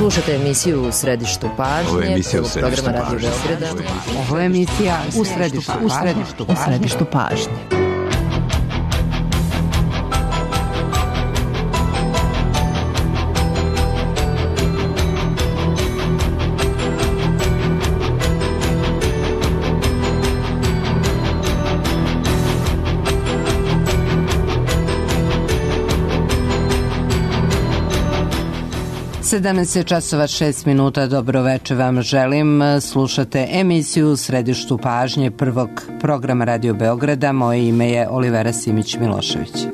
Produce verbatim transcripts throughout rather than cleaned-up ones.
Slušate emisiju U središtu pažnje. Ovo je emisija U središtu programa pažnje. Radio Beograda. Ovo je emisija U središtu, u središtu, u središtu pažnje. sedamnaest časova šest minuta, dobro večer vam želim. Slušate emisiju U središtu pažnje prvog programa Radio Beograda. Moje ime je Olivera Simić-Milošević.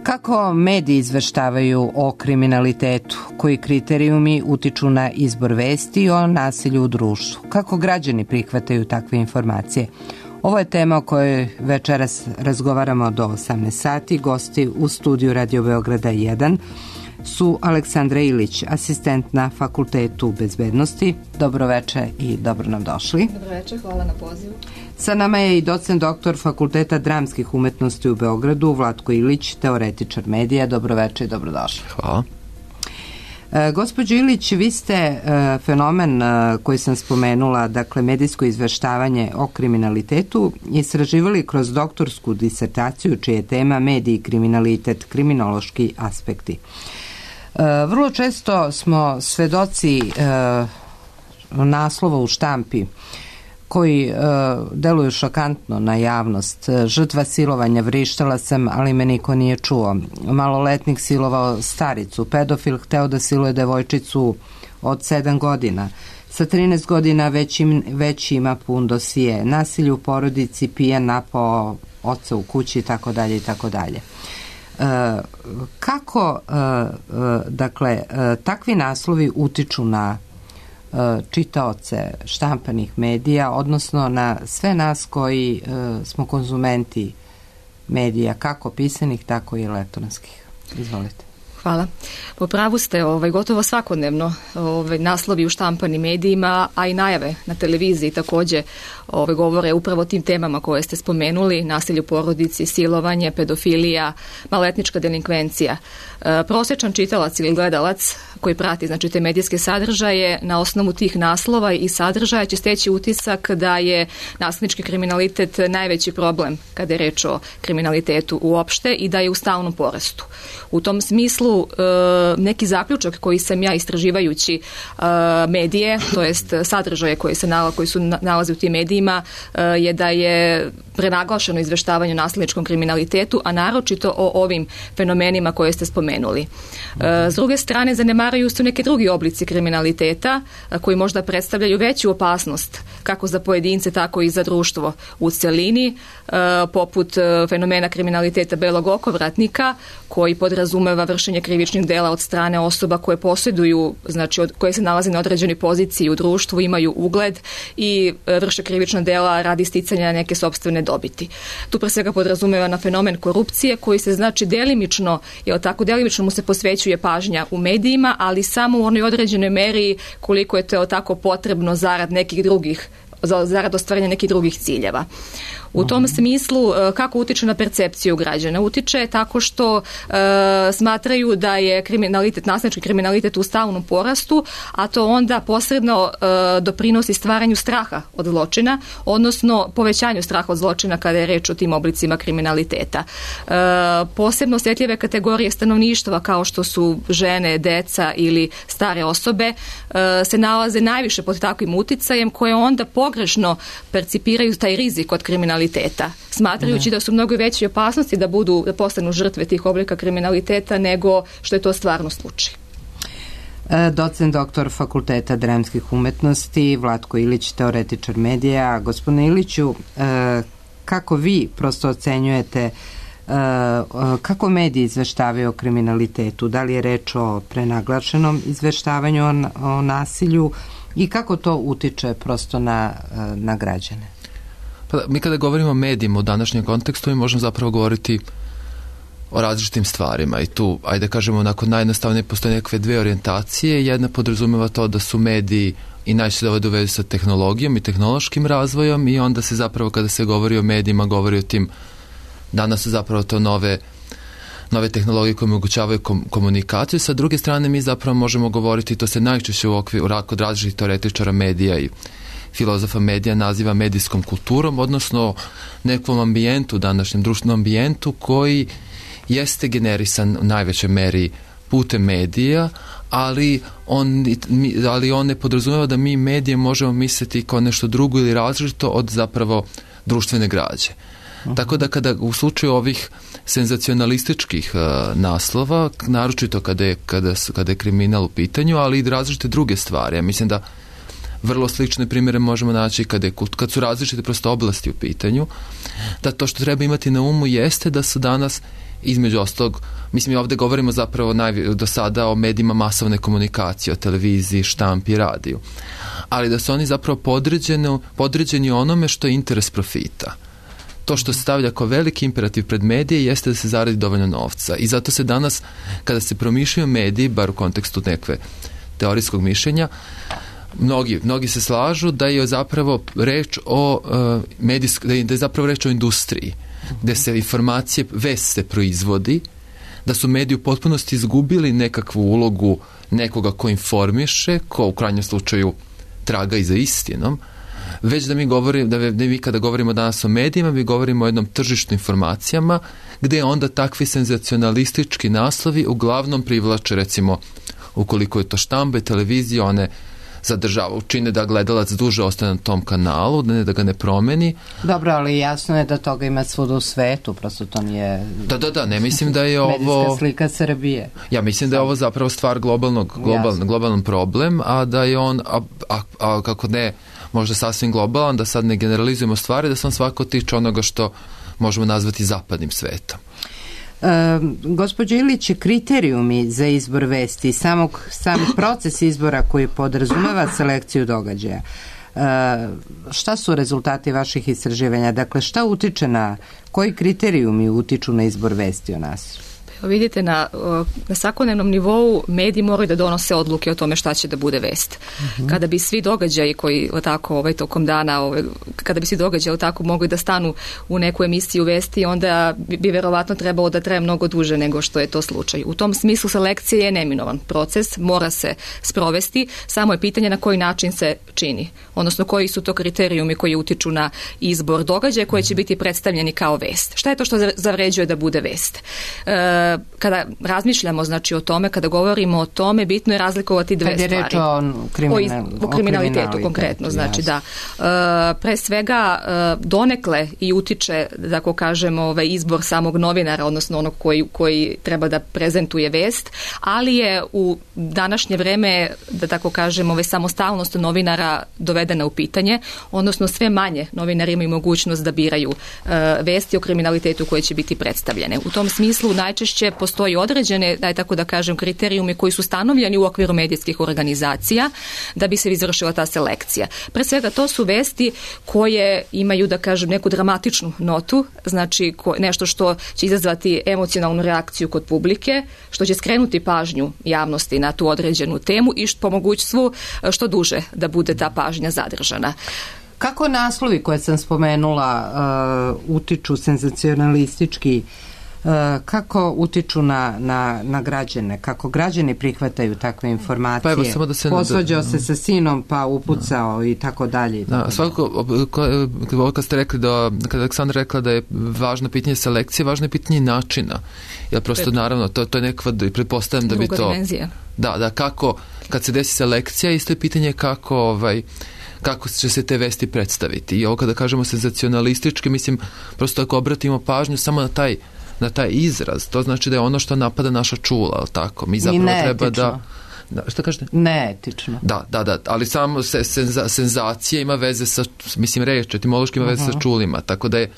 Kako mediji izveštavaju o kriminalitetu? Koji kriterijumi utiču na izbor vesti o nasilju u društvu? Kako građani prihvataju takve informacije? Ovo je tema o kojoj večeras razgovaramo do osamnaest sati. Gosti u studiju Radio Beograda jedan su Aleksandra Ilić, asistent na Fakultetu bezbednosti. Dobro večer i dobro nam došli. Dobro večer, hvala na pozivu. Sa nama je i docent doktor Fakulteta dramskih umetnosti u Beogradu, Vlatko Ilić, teoretičar medija. Dobro večer i dobro došli. Hvala. E, gospođo Ilić, vi ste e, fenomen e, koji sam spomenula, dakle medijsko izveštavanje o kriminalitetu, istraživali kroz doktorsku disertaciju čija je tema mediji i kriminalitet, kriminološki aspekti. E, vrlo često smo svedoci e, naslova u štampi koji e, deluju šokantno na javnost. Žrtva silovanja, vrištala sam, ali me niko nije čuo. Maloletnik silovao staricu. Pedofil hteo da siluje devojčicu od sedam godina. Sa trinaest godina već, im, već ima pun dosije. Nasilje u porodici, pijan napao oca u kući i tako dalje i tako dalje. Kako, e, e, dakle, e, takvi naslovi utiču na čitaoce štampanih medija, odnosno na sve nas koji e, smo konzumenti medija, kako pisanih, tako i elektronskih. Izvolite. Hvala. Po pravu ste, ovaj, gotovo svakodnevno ovaj, naslovi u štampanim medijima, a i najave na televiziji također ovaj, govore upravo o tim temama koje ste spomenuli, nasilje u porodici, silovanje, pedofilija, maloletnička delinkvencija. E, prosječan čitalac ili gledalac koji prati znači, te medijske sadržaje, na osnovu tih naslova i sadržaja će steći utisak da je nasilnički kriminalitet najveći problem kada je reč o kriminalitetu uopšte i da je u stalnom porastu. U tom smislu neki zaključak koji sam ja istraživajući medije, to jest sadržaje koji se nalaze, koji su nalaze u tim medijima, je da je prenaglašeno izveštavanje o nasilničkom kriminalitetu, a naročito o ovim fenomenima koje ste spomenuli. S druge strane, zanemaruju se neke drugi oblici kriminaliteta koji možda predstavljaju veću opasnost kako za pojedince, tako i za društvo u celini, poput fenomena kriminaliteta belog okovratnika koji podrazumeva vršenje krivičnih dela od strane osoba koje posjeduju, znači od, koje se nalaze na određenoj poziciji u društvu, imaju ugled i vrše krivična dela radi sticanja neke sopstvene dobiti. Tu pre svega podrazumeva na fenomen korupcije koji se znači delimično, je tako delimično mu se posvećuje pažnja u medijima, ali samo u onoj određenoj meri koliko je to tako potrebno zarad nekih drugih, zarad ostvarenja nekih drugih ciljeva. U tom smislu, kako utiče na percepciju građana? Utiče tako što e, smatraju da je kriminalitet, nasilnički kriminalitet u stalnom porastu, a to onda posredno e, doprinosi stvaranju straha od zločina, odnosno povećanju straha od zločina kada je reč o tim oblicima kriminaliteta. E, posebno osjetljive kategorije stanovništva kao što su žene, deca ili stare osobe e, se nalaze najviše pod takvim uticajem koje onda pogrešno percipiraju taj rizik od kriminaliteta. Smatrajući da su mnogo veće opasnosti da budu, da postanu žrtve tih oblika kriminaliteta nego što je to stvarno slučaj. Docent doktor Fakulteta dramskih umetnosti, Vlatko Ilić, teoretičar medija. Gospodine Iliću, kako vi prosto ocenjujete kako mediji izveštavaju o kriminalitetu? Da li je reč o prenaglašenom izveštavanju o, o nasilju i kako to utiče prosto na, na građane? Pa da, mi kada govorimo o medijima u današnjem kontekstu, mi možemo zapravo govoriti o različitim stvarima i tu, ajde kažemo, onako najjednostavnije postoje nekakve dve orijentacije. Jedna podrazumeva to da su mediji i najčešće dovode u vezu sa tehnologijom i tehnološkim razvojom i onda se zapravo kada se govori o medijima govori o tim Danas su zapravo to nove nove tehnologije koje omogućavaju kom, komunikaciju. Sa druge strane mi zapravo možemo govoriti, to se najčešće u okviru kod različitih teoretičara medija i filozofa medija naziva medijskom kulturom, odnosno nekom ambijentu, današnjem društvenom ambijentu koji jeste generisan u najvećoj meri putem medija, ali on, ali on ne podrazumeva da mi medije možemo misliti kao nešto drugo ili različito od zapravo društvene građe. Uh-huh. Tako da kada u slučaju ovih senzacionalističkih uh, naslova, naročito kada je, kada, kada je kriminal u pitanju, ali i različite druge stvari. Ja mislim da vrlo slične primjere možemo naći kad, je, kad su različite prosto oblasti u pitanju, da to što treba imati na umu jeste da su danas između ostalog, mislim, ovdje govorimo zapravo najvi, do sada o medijima masovne komunikacije, o televiziji, štampi, radiju. Ali da su oni zapravo podređeni, podređeni onome što je interes profita. To što se stavlja kao veliki imperativ pred medije jeste da se zaradi dovoljno novca. I zato se danas, kada se promišljaju mediji, bar u kontekstu nekve teorijskog mišljenja, mnogi, mnogi se slažu da je zapravo reč o uh, medijsk, da je, da je zapravo reč o industriji, gde se informacije, vest se proizvodi, da su mediji u potpunosti izgubili nekakvu ulogu nekoga ko informiše, ko u krajnjem slučaju traga i za istinom, već da mi govorimo, da mi kada govorimo danas o medijima, mi govorimo o jednom tržištu informacijama, gde onda takvi senzacionalistički naslovi uglavnom privlače, recimo, ukoliko je to štampa i televizija, one zadržava, učine da gledalac duže ostane na tom kanalu, da ne da ga ne promeni. Dobro, ali jasno je da toga ima svuda u svetu, prosto to nije... Da, da, da, ne mislim da je ovo... medijska slika Srbije. Ja mislim da je ovo zapravo stvar globalnog, global, globalan problem, a da je on, a, a, a kako ne, možda sasvim globalan, da sad ne generalizujemo stvari, da se on svako tiče onoga što možemo nazvati zapadnim svetom. E, gospođo Ilić, kriterijumi za izbor vesti, samog, sam proces izbora koji podrazumeva selekciju događaja, e, šta su rezultati vaših istraživanja? Dakle, šta utiče na, koji kriterijumi utiču na izbor vesti o nas? Vidite, na, na svakodnevnom nivou mediji moraju da donose odluke o tome šta će da bude vest. Uh-huh. Kada bi svi događaji koji tako ovaj, tokom dana, ovaj, kada bi svi događaji tako mogli da stanu u neku emisiju vesti, onda bi, bi verovatno trebalo da traje mnogo duže nego što je to slučaj. U tom smislu selekcija je neminovan proces, mora se sprovesti, samo je pitanje na koji način se čini. Odnosno, koji su to kriterijumi koji utiču na izbor događaja koji će biti predstavljeni kao vest. Šta je to što zavređuje da bude vest? E, kada razmišljamo znači o tome, kada govorimo o tome, bitno je razlikovati dve stvari. Kad je reč o, kriminal, o, o kriminalitetu konkretno, znači da. E, pre svega e, donekle i utiče, da tako kažemo, ovaj izbor samog novinara, odnosno onog koji, koji treba da prezentuje vest, ali je u današnje vreme, da tako kažemo, ovaj samostalnost novinara dovedena u pitanje, odnosno sve manje novinari imaju mogućnost da biraju e, vesti o kriminalitetu koje će biti predstavljene. U tom smislu najčešće postoji određene, daj tako da kažem, kriterijumi koji su stanovljeni u okviru medijskih organizacija da bi se izvršila ta selekcija. Pre svega to su vesti koje imaju, da kažem, neku dramatičnu notu, znači ko, nešto što će izazvati emocionalnu reakciju kod publike, što će skrenuti pažnju javnosti na tu određenu temu i što, po mogućstvu što duže da bude ta pažnja zadržana. Kako naslovi koje sam spomenula uh, utiču senzacionalistički, kako utiču na, na, na građane, kako građani prihvataju takve informacije, pa evo, samo da se posvađao se sa sinom pa upucao da. i tako dalje. Da, svakako, kad ste rekli da, kada Aleksandra rekla da je važno pitanje selekcije, važno je pitanje načina, jer prosto Pred. naravno to, to je nekva, pretpostavljam da bi to... dimenzija. Da, da, kako, kad se desi selekcija, isto je pitanje kako ovaj kako će se te vesti predstaviti. I ovo kada kažemo senzacionalistički, mislim, prosto ako obratimo pažnju samo na taj na taj izraz, to znači da je ono što napada naša čula, ali tako? Mi zapravo treba da... da šta kažete? Neetično. Da, da, da, ali samo se, senza, senzacija ima veze sa, mislim, reč, etimološki ima veze uh-huh. sa čulima, tako da je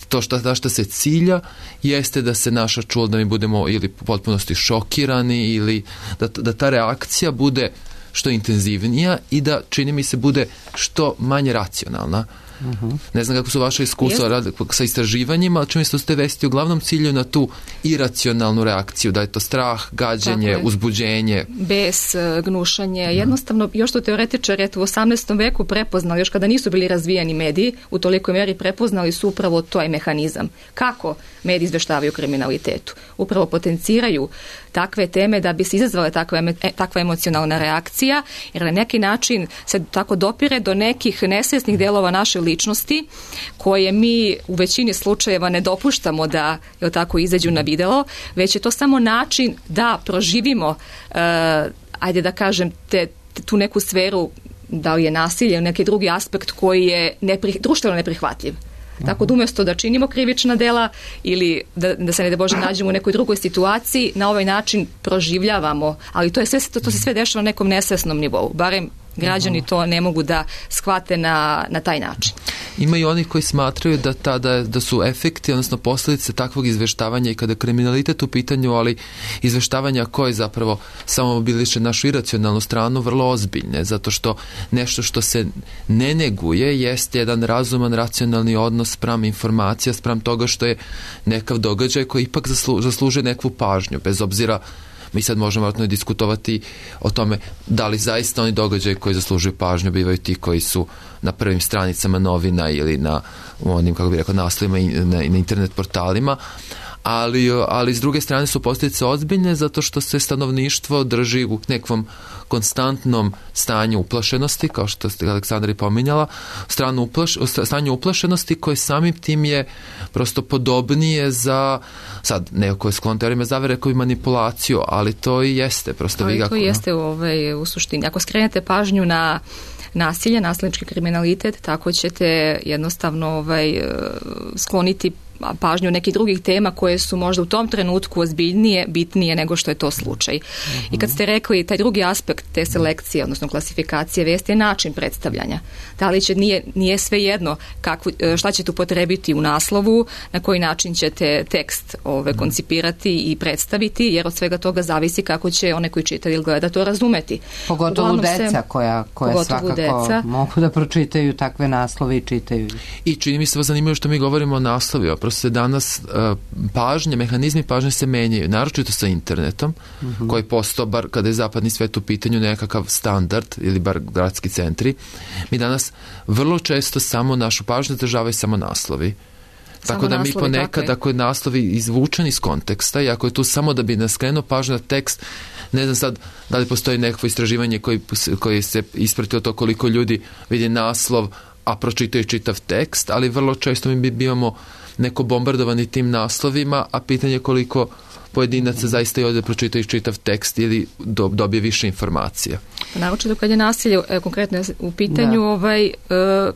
to što, što se cilja jeste da se naša čula, da mi budemo ili u potpunosti šokirani ili da, da ta reakcija bude što intenzivnija i da, čini mi se, bude što manje racionalna. Uh-huh. Ne znam kako su vaše iskustva rad, sa istraživanjima, ali čini se da ste vesti uglavnom cilju na tu iracionalnu reakciju, da je to strah, gađenje, uzbuđenje. Bes, gnušanje. Jednostavno, još su teoretičari eto, u osamnaestom veku prepoznali, još kada nisu bili razvijeni mediji, u tolikoj meri prepoznali su upravo taj mehanizam. Kako mediji izveštavaju o kriminalitetu? Upravo potenciraju takve teme da bi se izazvala takva, takva emocionalna reakcija, jer na neki način se tako dopire do nekih nesvjesnih delova naše ličnosti koje mi u većini slučajeva ne dopuštamo da je tako izađu na videlo, već je to samo način da proživimo, uh, ajde da kažem, te, te, tu neku sferu, da li je nasilje ili neki drugi aspekt koji je nepri, društveno neprihvatljiv. Tako da umjesto da činimo krivična dela ili da, da se ne da Bože nađemo u nekoj drugoj situaciji, na ovaj način proživljavamo, ali to je sve, to, to se sve dešava na nekom nesvesnom nivou, barem građani to ne mogu da shvate na, na taj način. Ima i oni koji smatraju da, tada, da su efekti, odnosno posljedice takvog izveštavanja i kada kriminalitet u pitanju, ali izveštavanja koje zapravo samo mobiliše našu iracionalnu stranu, vrlo ozbiljne, zato što nešto što se ne neguje jest jedan razuman, racionalni odnos spram informacija, spram toga što je nekav događaj koji ipak zaslu, zasluže nekvu pažnju, bez obzira. Mi sad možemo vjerojatno diskutovati o tome da li zaista oni događaji koji zaslužuju pažnju bivaju ti koji su na prvim stranicama novina ili na onim, kako bih rekao, naslovima i na, na internet portalima, ali, ali s druge strane su posljedice ozbiljne zato što se stanovništvo drži u nekvom konstantnom stanju uplašenosti, kao što ste Aleksandra i pominjala, stranu uplaš, stanju uplašenosti koje samim tim je prosto podobnije za, sad neko je sklon teorijama zavere koji manipulaciju, ali to i jeste. Prosto ali vi to kako, jeste ovaj, u suštini. Ako skrenete pažnju na nasilje, nasilnički kriminalitet, tako ćete jednostavno ovaj, skloniti pažnju nekih drugih tema koje su možda u tom trenutku ozbiljnije, bitnije nego što je to slučaj. Uh-huh. I kad ste rekli taj drugi aspekt te selekcije, odnosno klasifikacije vijesti je način predstavljanja. Da li će, nije, nije sve jedno kakvu, šta ćete upotrebiti u naslovu, na koji način ćete tekst ove, koncipirati i predstaviti, jer od svega toga zavisi kako će one koji čitaju ili gleda to razumeti. Pogotovo Uglavnom deca se, koja, koja svakako deca. mogu da pročitaju takve naslove i čitaju. I čini mi se vas zanimljivo što mi govorimo o naslovima. Prosto se danas uh, pažnje, mehanizmi pažnje se menjaju, naročito sa internetom, uh-huh. koji postao, bar kada je zapadni svet u pitanju, nekakav standard ili bar gradski centri. Mi danas vrlo često samo našu pažnju zadržavaju samo naslovi. Tako samo da mi ponekad, ako je naslovi izvučen iz konteksta i ako je tu samo da bi nas skrenuo pažnju na tekst, ne znam sad da li postoji nekako istraživanje koji, koji se ispratilo to koliko ljudi vidi naslov, a pročitaju čitav tekst, ali vrlo često mi bivamo neko bombardovani tim naslovima, a pitanje koliko pojedinaca zaista i ovdje pročitaju čitav tekst ili do, dobije više informacija. Naročito kad je nasilje e, konkretno u pitanju ovaj, e,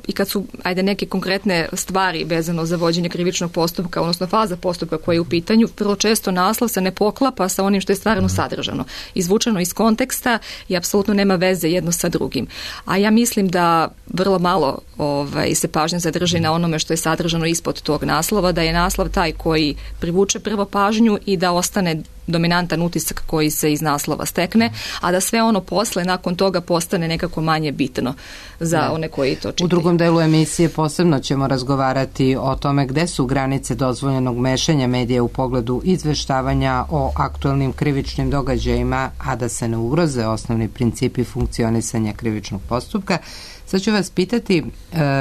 i kad su ajde neke konkretne stvari vezano za vođenje krivičnog postupka, odnosno faza postupka koja je u pitanju, vrlo često naslov se ne poklapa sa onim što je stvarno mm. sadržano. Izvučeno iz konteksta i apsolutno nema veze jedno sa drugim. A ja mislim da vrlo malo ovaj, se pažnja zadrži na onome što je sadržano ispod tog naslova, da je naslov taj koji privuče prvo pažnju i da ostane dominantan utisak koji se iz naslova stekne, a da sve ono posle nakon toga postane nekako manje bitno za ne. one koji to čitaju. U drugom delu emisije posebno ćemo razgovarati o tome gde su granice dozvoljenog mešanja medija u pogledu izveštavanja o aktualnim krivičnim događajima, a da se ne ugroze osnovni principi funkcionisanja krivičnog postupka. Sad ću vas pitati,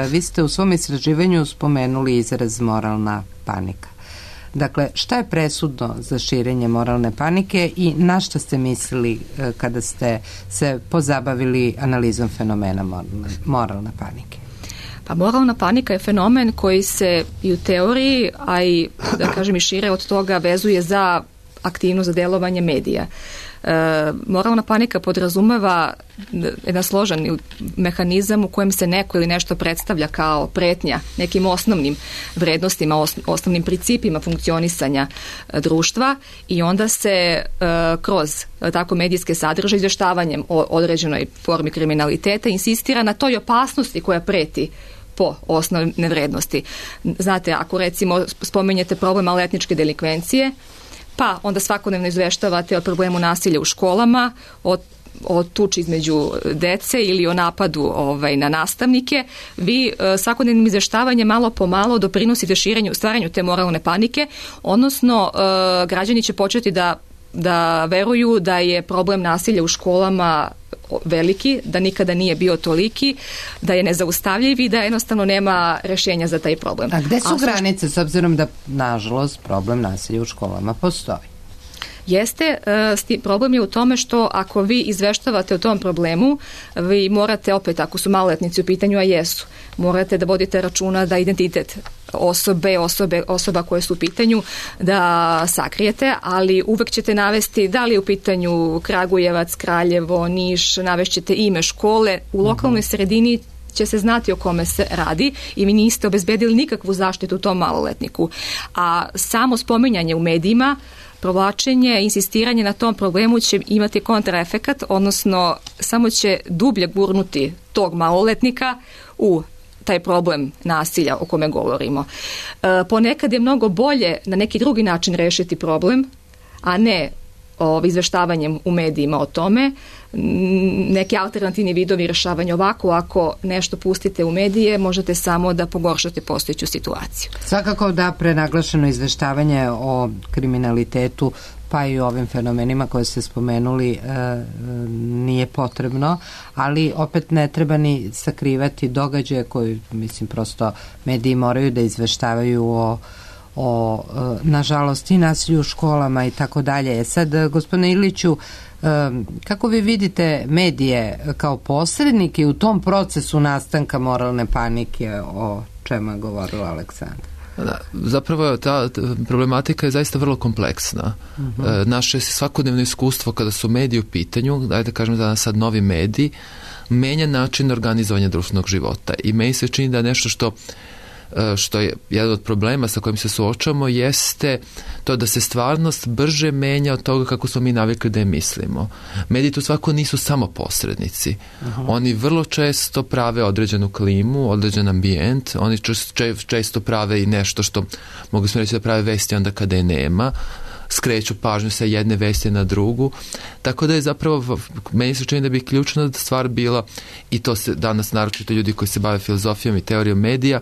vi ste u svom istraživanju spomenuli izraz moralna panika. Dakle, šta je presudno za širenje moralne panike i na šta ste mislili kada ste se pozabavili analizom fenomena moralne, moralne panike? Pa moralna panika je fenomen koji se i u teoriji, a i da kažem i šire od toga vezuje za aktivnost, za delovanje medija. E, moralna panika podrazumeva jedan složen mehanizam u kojem se neko ili nešto predstavlja kao pretnja nekim osnovnim vrednostima, os, osnovnim principima funkcionisanja e, društva i onda se e, kroz e, tako medijske sadržaje izvještavanjem o određenoj formi kriminaliteta insistira na toj opasnosti koja preti po osnovne vrednosti. Znate, ako recimo spomenjete problem maloletničke delikvencije, pa onda svakodnevno izveštavate o problemu nasilja u školama, o o tuči između dece ili o napadu ovaj, na nastavnike, vi e, svakodnevnim izveštavanjem malo po malo doprinosite širenju, stvaranju te moralne panike, odnosno e, građani će početi da, da veruju da je problem nasilja u školama veliki, da nikada nije bio toliki, da je nezaustavljiv i da jednostavno nema rešenja za taj problem. A gde su A granice, s obzirom da, nažalost, problem nasilja u školama postoji? Jeste, problem je u tome što ako vi izveštavate o tom problemu, vi morate opet, ako su maloletnici u pitanju, a jesu, morate da vodite računa da identitet osobe, osobe, osoba koje su u pitanju da sakrijete, ali uvek ćete navesti da li je u pitanju Kragujevac, Kraljevo, Niš, navešćete ime škole, u lokalnoj sredini će se znati o kome se radi i vi niste obezbedili nikakvu zaštitu tom maloletniku. A samo spominjanje u medijima, provlačenje, insistiranje na tom problemu će imati kontraefekat, odnosno samo će dublje gurnuti tog maloletnika u taj problem nasilja o kome govorimo. E, ponekad je mnogo bolje na neki drugi način rešiti problem, a ne o, izveštavanjem u medijima o tome. Neki alternativni vidovi rešavanja ovako, ako nešto pustite u medije, možete samo da pogoršate postojeću situaciju. Svakako da prenaglašeno izveštavanje o kriminalitetu pa i o ovim fenomenima koje ste spomenuli e, nije potrebno, ali opet ne treba ni sakrivati događaje koji, mislim, prosto mediji moraju da izveštavaju o o, nažalost, i nasilju u školama i tako dalje. Sad, gospodine Iliću, kako vi vidite medije kao posrednike u tom procesu nastanka moralne panike o čemu je govorila Aleksandra? Da, zapravo ta problematika je zaista vrlo kompleksna. Uh-huh. Naše svakodnevno iskustvo kada su mediji u pitanju, dajte da kažem da sad novi mediji, menja način organizovanja društvenog života i meni se čini da nešto što što je jedan od problema sa kojim se suočamo jeste to da se stvarnost brže menja od toga kako smo mi navikli da je mislimo. Mediji tu svako nisu samo posrednici. Aha. Oni vrlo često prave određenu klimu, određen ambijent, oni često prave i nešto što mogu smo reći da prave vesti onda kada je nema, skreću pažnju sa jedne vesti na drugu, tako da je zapravo meni se čini da bi ključna stvar bila, i to se danas naročito ljudi koji se bave filozofijom i teorijom medija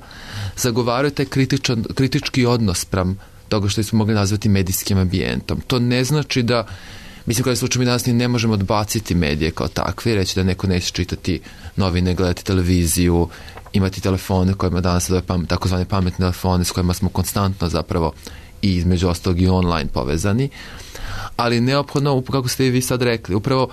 zagovaraju taj kritičan, kritički odnos spram toga što smo mogli nazvati medijskim ambijentom. To ne znači da, mislim kada slučaju mi danas ne možemo odbaciti medije kao takve, reći da neko neće čitati novine, gledati televiziju, imati telefone kojima danas takozvane pametne telefone s kojima smo konstantno zapravo i između ostalog i online povezani, ali neophodno, kako ste i vi sad rekli, upravo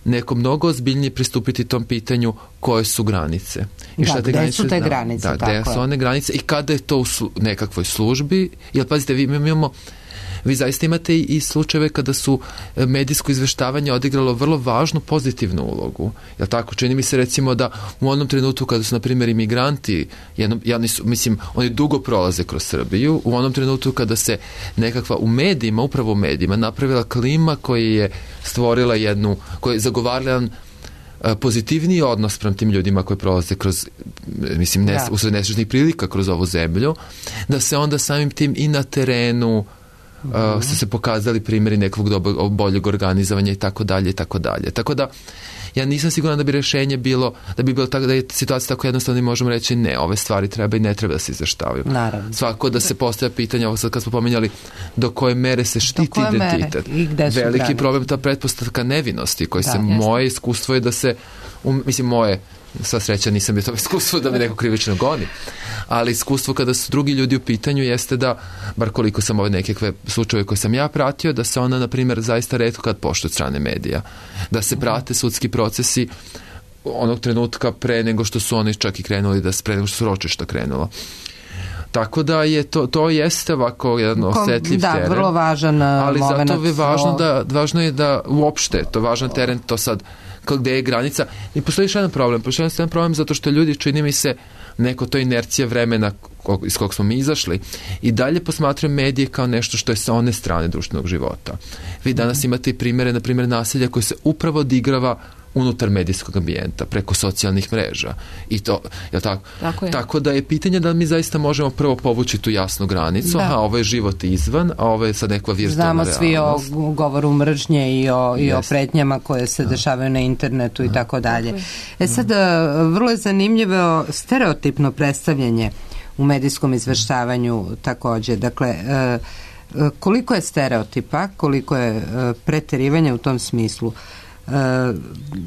neko mnogo ozbiljnije pristupiti tom pitanju koje su granice. I da, gde granice, su te granice? Da, gde su one granice i kada je to u slu, nekakvoj službi, jer pazite, vi imamo vi zaista imate i slučajeve kada su medijsko izveštavanje odigralo vrlo važnu pozitivnu ulogu. Jel tako? Čini mi se recimo da u onom trenutku kada su, na primjer, imigranti, jedno, ja nisu, mislim, oni dugo prolaze kroz Srbiju, u onom trenutku kada se nekakva u medijima, upravo u medijima, napravila klima koja je stvorila jednu, koja je zagovarala jedan pozitivniji odnos prema tim ljudima koji prolaze kroz, mislim, nes, ja. usred nesrećnih prilika kroz ovu zemlju, da se onda samim tim i na terenu Uh, su se pokazali primjeri nekog dobro, boljeg organizovanja i tako dalje i tako dalje. Tako da ja nisam siguran da bi rješenje bilo, da bi bilo tako da je situacija tako jednostavno i možemo reći ne, ove stvari treba i ne treba da se izveštavaju. Naravno. Svako da se postavlja pitanje, ovo sad kad smo pominjali do koje mere se štiti identitet. Veliki grane. Problem ta pretpostavka nevinosti koji da, se, jasno. Moje iskustvo je da se, um, mislim moje, sva sreća nisam bio to iskustvo da me neko krivično goni, ali iskustvo kada su drugi ljudi u pitanju jeste da, bar koliko sam ove nekakve slučajeve koje sam ja pratio, da se ona, na primjer, zaista retko kad poštuje od strane medija. Da se prate sudski procesi onog trenutka pre nego što su oni čak i krenuli, da pre nego što su ročišta krenulo. Tako da je to, to jeste ovako jedan osetljiv da, teren. Da, vrlo važan ali moment. Ali zato je važno da, važno je da uopšte, to je važan teren, to sad gde je granica. I postoji još jedan problem. Postoji jedan problem zato što ljudi, čini mi se, neko to inercija vremena iz kog smo mi izašli i dalje posmatraju medije kao nešto što je sa one strane društvenog života. Vi danas imate i primjere, na primjer, nasilja koje se upravo odigrava unutar medijskog ambijenta, preko socijalnih mreža. I to, je tako? Tako je. Tako da je pitanje da mi zaista možemo prvo povući tu jasnu granicu, a ovo je život izvan, a ovo je sad nekva virtualna realnost. Znamo svi o govoru mržnje i o, i o pretnjama koje se dešavaju na internetu i tako dalje. E sad, vrlo je zanimljivo stereotipno predstavljanje u medijskom izveštavanju takođe. Dakle, koliko je stereotipa, koliko je preterivanja u tom smislu. Uh,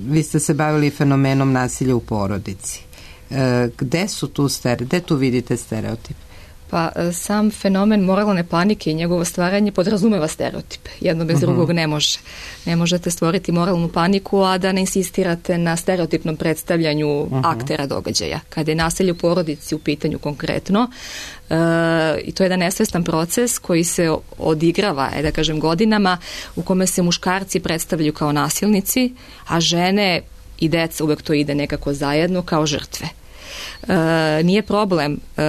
vi ste se bavili fenomenom nasilja u porodici. Uh, gde su tu stere, gde tu vidite stereotip? Pa sam fenomen moralne panike i njegovo stvaranje podrazumeva stereotipe. Jedno bez uh-huh. drugog ne može. Ne možete stvoriti moralnu paniku, a da ne insistirate na stereotipnom predstavljanju uh-huh. aktera događaja. Kada je nasilje u porodici u pitanju konkretno, e, i to je jedan nesvestan proces koji se odigrava, da kažem, godinama, u kome se muškarci predstavljaju kao nasilnici, a žene i deca, uvek to ide nekako zajedno, kao žrtve. E, nije problem e,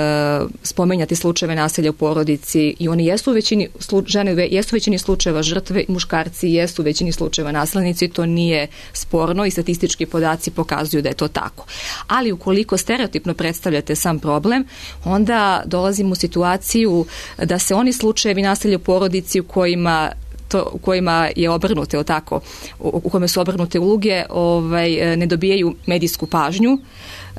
spomenjati slučajeve nasilja u porodici i oni jesu u većini slu, žene jesu u većini slučajeva žrtve, muškarci jesu u većini slučajeva nasilnici, to nije sporno i statistički podaci pokazuju da je to tako. Ali ukoliko stereotipno predstavljate sam problem, onda dolazimo u situaciju da se oni slučajevi nasilja u porodici u kojima to, u kojima je obrnute, o tako, u, u kojima su obrnute uloge, ovaj, ne dobijaju medijsku pažnju,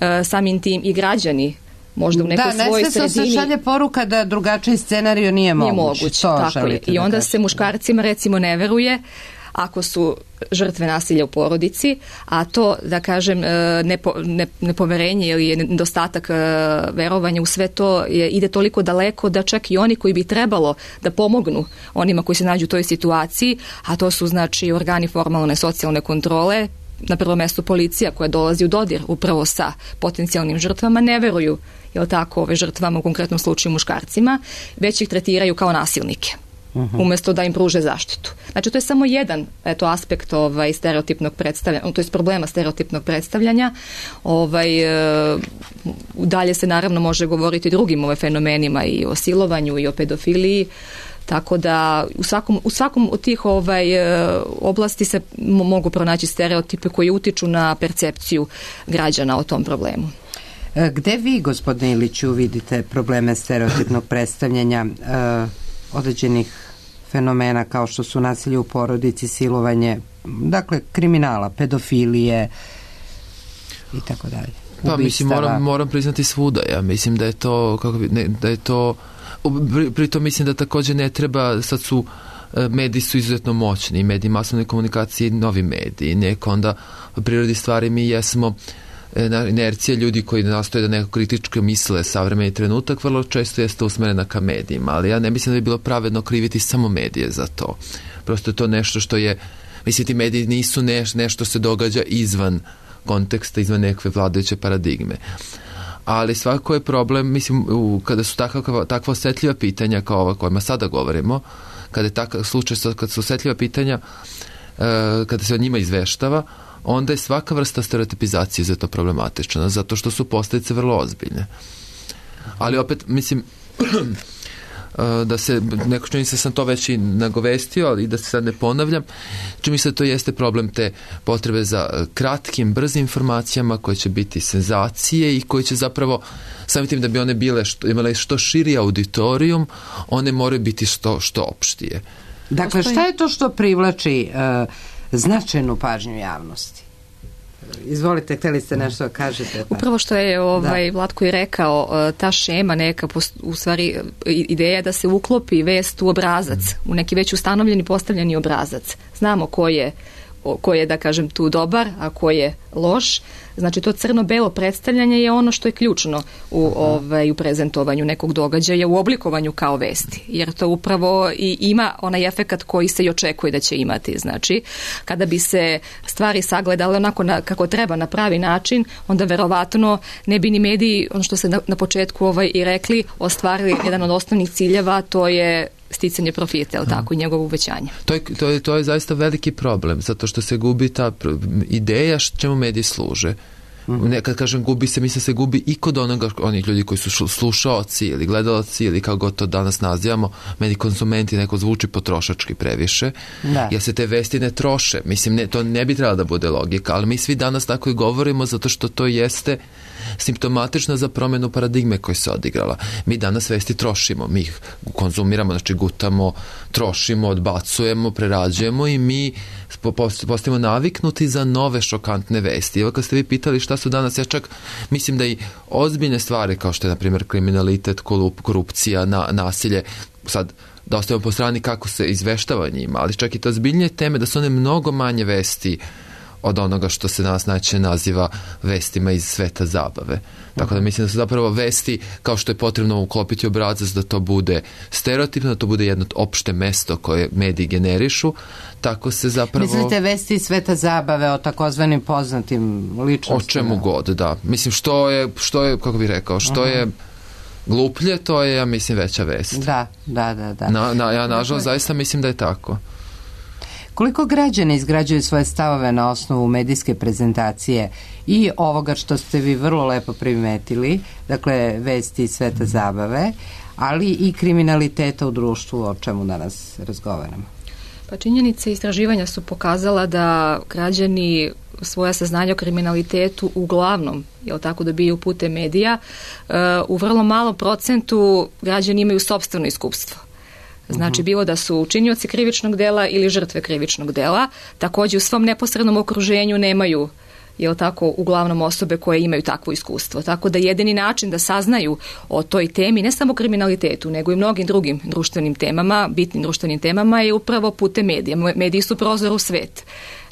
e, samim tim i građani možda u nekoj da, svojoj sredini. Da, ne se šalje poruka da drugačiji scenario nije moguć. Nije moguć, tako je. I onda se muškarcima recimo ne veruje ako su žrtve nasilja u porodici, a to, da kažem, nepo, ne, nepoverenje ili nedostatak verovanja u sve to je, ide toliko daleko da čak i oni koji bi trebalo da pomognu onima koji se nađu u toj situaciji, a to su znači organi formalne socijalne kontrole, na prvom mjestu policija koja dolazi u dodir upravo sa potencijalnim žrtvama, ne veruju, jel tako, ove žrtvama, u konkretnom slučaju muškarcima, već ih tretiraju kao nasilnike. Uh-huh. Umjesto da im pruže zaštitu. Znači, to je samo jedan eto, aspekt ovaj, stereotipnog predstavljanja, to je problema stereotipnog predstavljanja. Ovaj, e, dalje se naravno može govoriti o drugim ovaj, fenomenima i o silovanju i o pedofiliji, tako da u svakom, u svakom od tih ovaj, oblasti se mogu pronaći stereotipe koji utiču na percepciju građana o tom problemu. Gde vi, gospodine Iliću, vidite probleme stereotipnog predstavljanja uh, određenih fenomena kao što su nasilje u porodici, silovanje, dakle kriminala, pedofilije i tako dalje? Pa mislim, moram, moram priznati svuda. Ja mislim da je to, kako bi, ne, da je to pritom mislim da također ne treba, sad su mediji su izuzetno moćni, mediji masovne komunikacije, novi mediji, neko onda u prirodi stvari mi jesmo inercija ljudi koji nastoje da neko kritički misle savremeni trenutak, vrlo često jeste usmerena ka medijima, ali ja ne mislim da bi bilo pravedno kriviti samo medije za to. Prosto je to nešto što je, mislim, ti mediji nisu neš, nešto se događa izvan konteksta, izvan nekve vladajuće paradigme. Ali svako je problem, mislim, u, kada su takva, takva osjetljiva pitanja kao ova kojima sada govorimo, kada je takav slučaj, kada su osjetljiva pitanja, e, kada se o njima izveštava, onda je svaka vrsta stereotipizacije za to problematična, zato što su posljedice vrlo ozbiljne. Ali opet, mislim, da se, neko čini se sam to već i nagovestio, ali da se sad ne ponavljam, čini se da to jeste problem te potrebe za kratkim, brzim informacijama koje će biti senzacije i koje će zapravo, samim tim da bi one bile što, imale što širi auditorijum, one moraju biti što, što opštije. Dakle, šta je to što privlači uh, značajnu pažnju javnosti? Izvolite, htjeli ste nešto da kažete. Pa. Upravo što je ovaj da. Vlatko i rekao, ta šema neka, u stvari ideja da se uklopi vest u obrazac, u neki već ustanovljeni postavljeni obrazac. Znamo ko je, ko je, da kažem, tu dobar, a ko je loš. Znači, to crno-belo predstavljanje je ono što je ključno u, ovaj, u prezentovanju nekog događaja, u oblikovanju kao vesti. Jer to upravo i ima onaj efekat koji se i očekuje da će imati. Znači, kada bi se stvari sagledale onako na, kako treba na pravi način, onda verovatno ne bi ni mediji, ono što se na, na početku ovaj, i rekli, ostvarili jedan od osnovnih ciljeva, to je sticanje profita, je tako, i njegovo uvećanje. To je, to, je, to je zaista veliki problem, zato što se gubi ta ideja čemu mediji služe. Mm-hmm. Ne, kad kažem gubi se, mislim se gubi i kod onoga, onih ljudi koji su slušaoci ili gledalci ili kako god to danas nazivamo, meni konzumenti neko zvuči potrošački previše, da. Jer se te vesti ne troše. Mislim, ne, to ne bi trebalo da bude logika, ali mi svi danas tako i govorimo zato što to jeste simptomatično za promjenu paradigme koja se odigrala. Mi danas vesti trošimo, mi ih konzumiramo, znači gutamo, trošimo, odbacujemo, prerađujemo i mi postajemo naviknuti za nove šokantne vesti. Evo kad ste vi pitali šta su danas, ja čak mislim da i ozbiljne stvari kao što je na primjer kriminalitet, korupcija, na, nasilje, sad da ostavimo po strani kako se izveštava njima, ali čak i to ozbiljnije teme da su one mnogo manje vesti od onoga što se nas najčešće naziva vestima iz sveta zabave. Tako da mislim da su zapravo vesti, kao što je potrebno uklopiti obrazac da to bude stereotipno, da to bude jedno opšte mesto koje mediji generišu, tako se zapravo... Mislite vesti iz sveta zabave o takozvanim poznatim ličnostima? O čemu god, da. Mislim, što je, što je kako bih rekao, što uh-huh. je gluplje, to je, ja mislim, veća vest. Da, da, da. da. Na, na, ja, nažalost, zaista mislim da je tako. Koliko građani izgrađuju svoje stavove na osnovu medijske prezentacije i ovoga što ste vi vrlo lepo primetili, dakle vesti iz sveta zabave, ali i kriminaliteta u društvu, o čemu danas razgovaramo? Pa činjenice istraživanja su pokazala da građani svoja saznanja o kriminalitetu uglavnom, jel tako, dobiju putem medija, u vrlo malom procentu građani imaju sopstveno iskustvo. Znači, bilo da su učinioci krivičnog dela ili žrtve krivičnog dela, također u svom neposrednom okruženju nemaju, jel tako, uglavnom osobe koje imaju takvo iskustvo. Tako da jedini način da saznaju o toj temi, ne samo kriminalitetu, nego i mnogim drugim društvenim temama, bitnim društvenim temama, je upravo putem medija. Mediji su prozor u svet.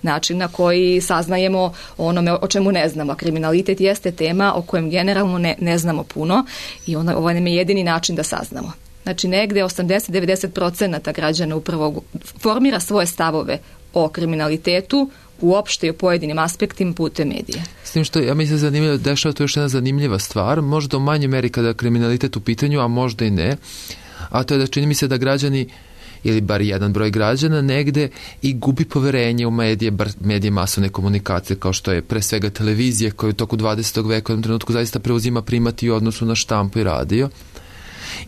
Način na koji saznajemo onome o čemu ne znamo. A kriminalitet jeste tema o kojem generalno ne, ne znamo puno i ono, ovo nam je jedini način da saznamo. Znači, negde osamdeset do devedeset procenata građana upravo formira svoje stavove o kriminalitetu uopšte i o pojedinim aspektima putem medija. S tim što, ja mislim, zanimljivo, dešava to još jedna zanimljiva stvar, možda u manjoj meri kada je kriminalitet u pitanju, a možda i ne, a to je da čini mi se da građani, ili bar jedan broj građana, negde i gubi poverenje u medije, bar medije masovne komunikacije, kao što je pre svega televizija, koja u toku dvadesetog veka u jednom trenutku zaista preuzima primati u odnosu na štampu i radio.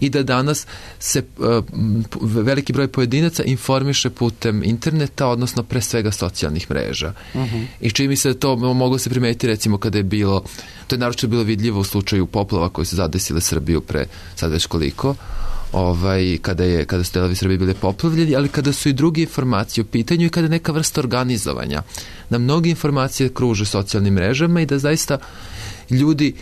I da danas se uh, veliki broj pojedinaca informiše putem interneta, odnosno pre svega socijalnih mreža. Uh-huh. I čini mi se da to moglo se primetiti recimo kada je bilo, to je naročito bilo vidljivo u slučaju poplava koje su zadesile Srbiju pre sad već koliko, ovaj, kada, je, kada su delovi Srbije bile poplavljeni, ali kada su i druge informacije u pitanju i kada je neka vrsta organizovanja. Da mnogi informacije kruže socijalnim mrežama i da zaista ljudi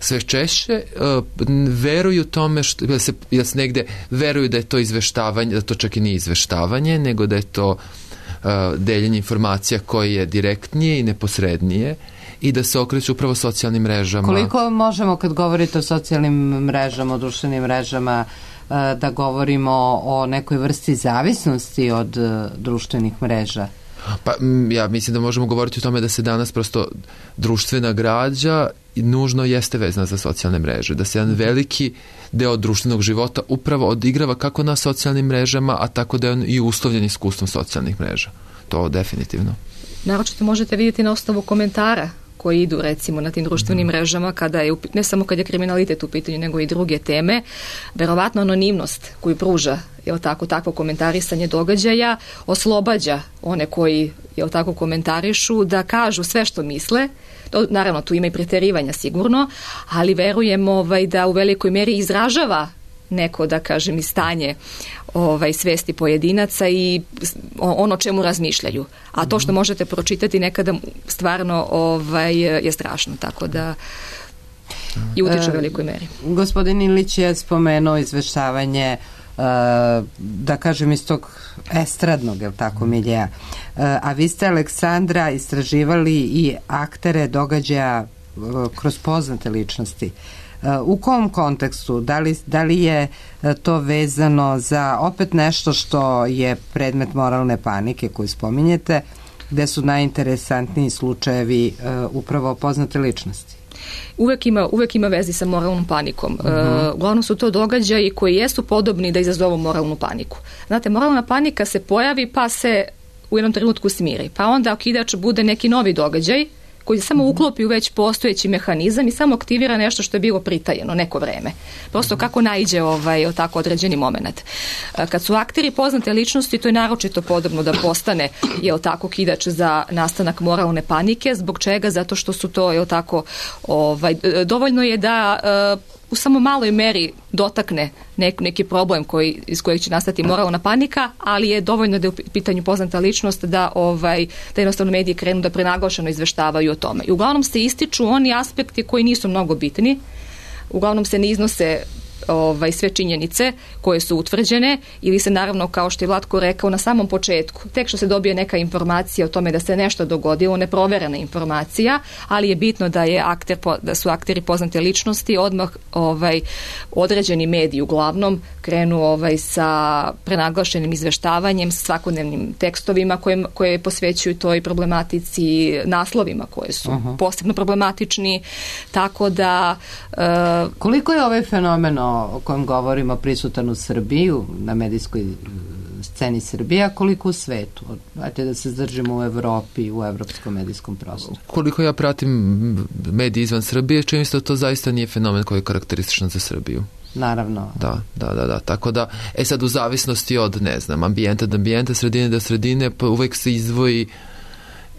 sve češće uh, veruju tome što, da se, da se negde veruju da je to izveštavanje, da to čak i nije izveštavanje, nego da je to uh, deljenje informacija koje je direktnije i neposrednije i da se okreću upravo socijalnim mrežama. Koliko možemo, kad govorite o socijalnim mrežama, o društvenim mrežama, uh, da govorimo o nekoj vrsti zavisnosti od uh, društvenih mreža? Pa ja mislim da možemo govoriti o tome da se danas prosto društvena građa nužno jeste vezana za socijalne mreže, da se jedan veliki deo društvenog života upravo odigrava kako na socijalnim mrežama, a tako da je on i uslovljen iskustvom socijalnih mreža. To definitivno. Naročito možete vidjeti na osnovu komentara koji idu recimo na tim društvenim mrežama, kada je, ne samo kad je kriminalitet u pitanju, nego i druge teme, verovatno anonimnost koju pruža, jel tako, takvo komentarisanje događaja, oslobađa one koji, jel tako, komentarišu da kažu sve što misle. To, naravno, tu ima i preterivanja sigurno, ali verujem ovaj, da u velikoj meri izražava neko, da kažem, i stanje ovaj, svesti pojedinaca i ono čemu razmišljaju. A to što možete pročitati nekada stvarno ovaj, je strašno, tako da i utiče u velikoj meri. E, gospodin Ilić je spomenuo izveštavanje e, da kažem iz tog estradnog, je li tako, miljeja. E, a vi ste, Aleksandra, istraživali i aktere događaja e, kroz poznate ličnosti. U kom kontekstu? Da li, da li je to vezano za opet nešto što je predmet moralne panike koju spominjete, gde su najinteresantniji slučajevi uh, upravo poznate ličnosti? Uvek ima, uvek ima vezi sa moralnom panikom. Uh-huh. Uh, uglavnom su to događaji koji jesu podobni da izazovu moralnu paniku. Znate, moralna panika se pojavi pa se u jednom trenutku smiri. Pa onda okidač bude neki novi događaj koji se samo uklopi u već postojeći mehanizam i samo aktivira nešto što je bilo pritajeno neko vreme. Prosto kako naiđe ovaj, o tako određeni moment. Kad su akteri poznate ličnosti, to je naročito podobno da postane, jel tako, kidač za nastanak moralne panike. Zbog čega? Zato što su to, jel tako, ovaj, dovoljno je da u samo maloj meri dotakne nek, neki problem koji, iz kojeg će nastati moralna panika, ali je dovoljno da je u pitanju poznata ličnost da, ovaj, da jednostavno mediji krenu da prenaglašeno izveštavaju o tome. I uglavnom se ističu oni aspekti koji nisu mnogo bitni, uglavnom se ne iznose ovaj, sve činjenice koje su utvrđene ili se naravno, kao što je Vlatko rekao, na samom početku, tek što se dobije neka informacija o tome da se nešto dogodilo, neproverena informacija, ali je bitno da je akter, da su akteri poznate ličnosti, odmah ovaj, određeni mediji uglavnom krenu ovaj, sa prenaglašenim izveštavanjem, sa svakodnevnim tekstovima koje, koje posvećuju toj problematici, naslovima koje su uh-huh. posebno problematični, tako da... Uh, Koliko je ovaj fenomen o kojem govorimo prisutan u Srbiji, na medijskoj sceni Srbije, a koliko u svetu? Ajde da se zdržimo u Evropi, u evropskom medijskom prostoru. Koliko ja pratim mediji izvan Srbije, čini se da to zaista nije fenomen koji je karakterističan za Srbiju. Naravno. Da, da, da, da. Tako da, e sad u zavisnosti od, ne znam, ambijenta do ambijenta, sredine do sredine, pa uvek se izdvoji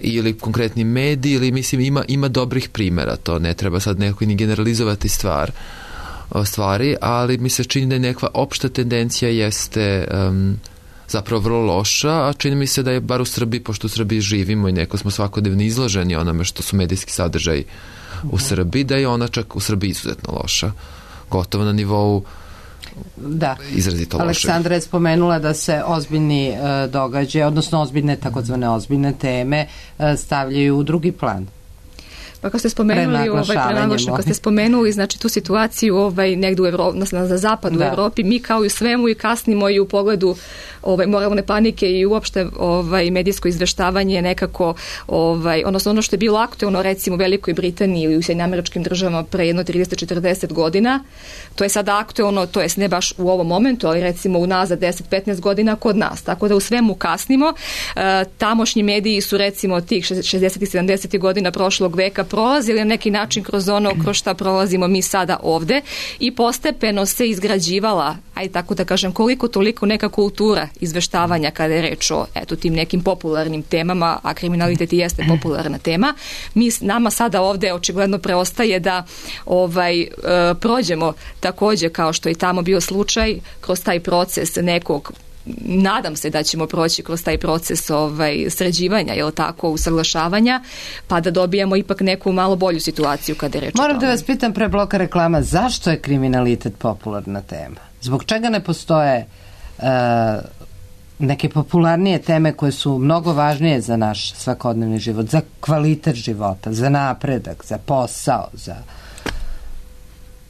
ili konkretni mediji, ili mislim ima, ima dobrih primjera, to ne treba sad nekako ni generalizovati stvar, stvari, ali mi se čini da je neka opšta tendencija jeste um, zapravo vrlo loša, a čini mi se da je bar u Srbiji, pošto u Srbiji živimo i neko smo svakodnevno izloženi onome što su medijski sadržaji u Srbiji, da je ona čak u Srbiji izuzetno loša. Gotovo na nivou da. Izrazito loše. Aleksandra je spomenula da se ozbiljni e, događaje, odnosno ozbiljne, takozvane ozbiljne teme e, stavljaju u drugi plan. Pa kad ste spomenuli ovaj prenaglašeno, kad ste spomenuli znači tu situaciju ovaj negdje u Evropi, na, na zapadu da. u Evropi, mi kao i u svemu i kasnimo i u pogledu ovaj moralne panike i uopšte ovaj medijsko izveštavanje nekako ovaj odnosno ono što je bilo aktuelno recimo u Velikoj Britaniji ili u Sjedinjenim Američkim Državama pre jedno trideset do četrdeset godina, to je sada aktuelno, to jest ne baš u ovom momentu, ali recimo unazad deset do petnaest godina kod nas. Tako da u svemu kasnimo. E, tamošnji mediji su recimo tih šezdesetih i sedamdesetih godina prošlog veka prolazili na neki način kroz ono kroz šta prolazimo mi sada ovde i postepeno se izgrađivala, aj tako da kažem, koliko toliko neka kultura izveštavanja kada je reč o eto tim nekim popularnim temama, a kriminalitet jeste popularna tema. Mi nama sada ovde očigledno preostaje da ovaj e, prođemo takođe kao što je tamo bio slučaj kroz taj proces nekog, nadam se da ćemo proći kroz taj proces ovaj, sređivanja, jel tako, usaglašavanja, pa da dobijemo ipak neku malo bolju situaciju kada je reč o tome. Moram da vas pitam pre bloka reklama, zašto je kriminalitet popularna tema? Zbog čega ne postoje uh, neke popularnije teme koje su mnogo važnije za naš svakodnevni život, za kvalitet života, za napredak, za posao, za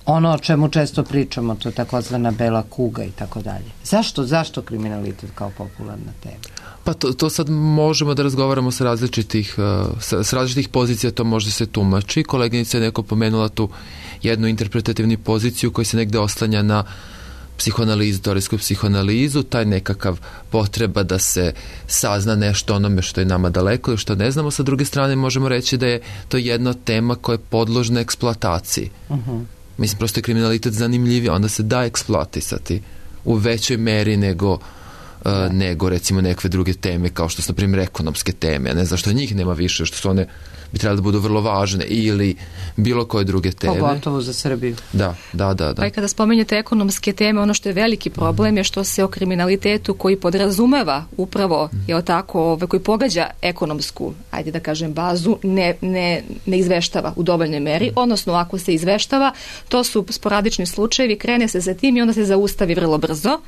ono o čemu često pričamo, to je takozvana bela kuga i tako dalje. Zašto, zašto kriminalitet kao popularna tema? Pa to, to sad možemo da razgovaramo sa različitih, sa, sa različitih pozicija, to možda se tumači. Koleginica je neko pomenula tu jednu interpretativnu poziciju koja se negde oslanja na psihoanalizu, teorijsku psihoanalizu, taj nekakav potreba da se sazna nešto onome što je nama daleko ili što ne znamo. Sa druge strane možemo reći da je to jedna tema koja je podložna eksploataciji. Uh-huh. Mislim, prosto je kriminalitet zanimljiviji, onda se da eksploatisati u većoj meri nego, uh, nego recimo nekve druge teme, kao što su, na primjer, ekonomske teme. Ne znam što njih nema više, što su one bi trebali da budu vrlo važne, ili bilo koje druge teme. Pogotovo za Srbiju. Da, da, da. da. Pa i kada spomenjete ekonomske teme, ono što je veliki problem je što se o kriminalitetu koji podrazumeva upravo, je tako, ove, koji pogađa ekonomsku, ajde da kažem, bazu, ne, ne, ne izveštava u dovoljnoj meri, odnosno ako se izveštava, to su sporadični slučajevi, krene se za tim i onda se zaustavi vrlo brzo,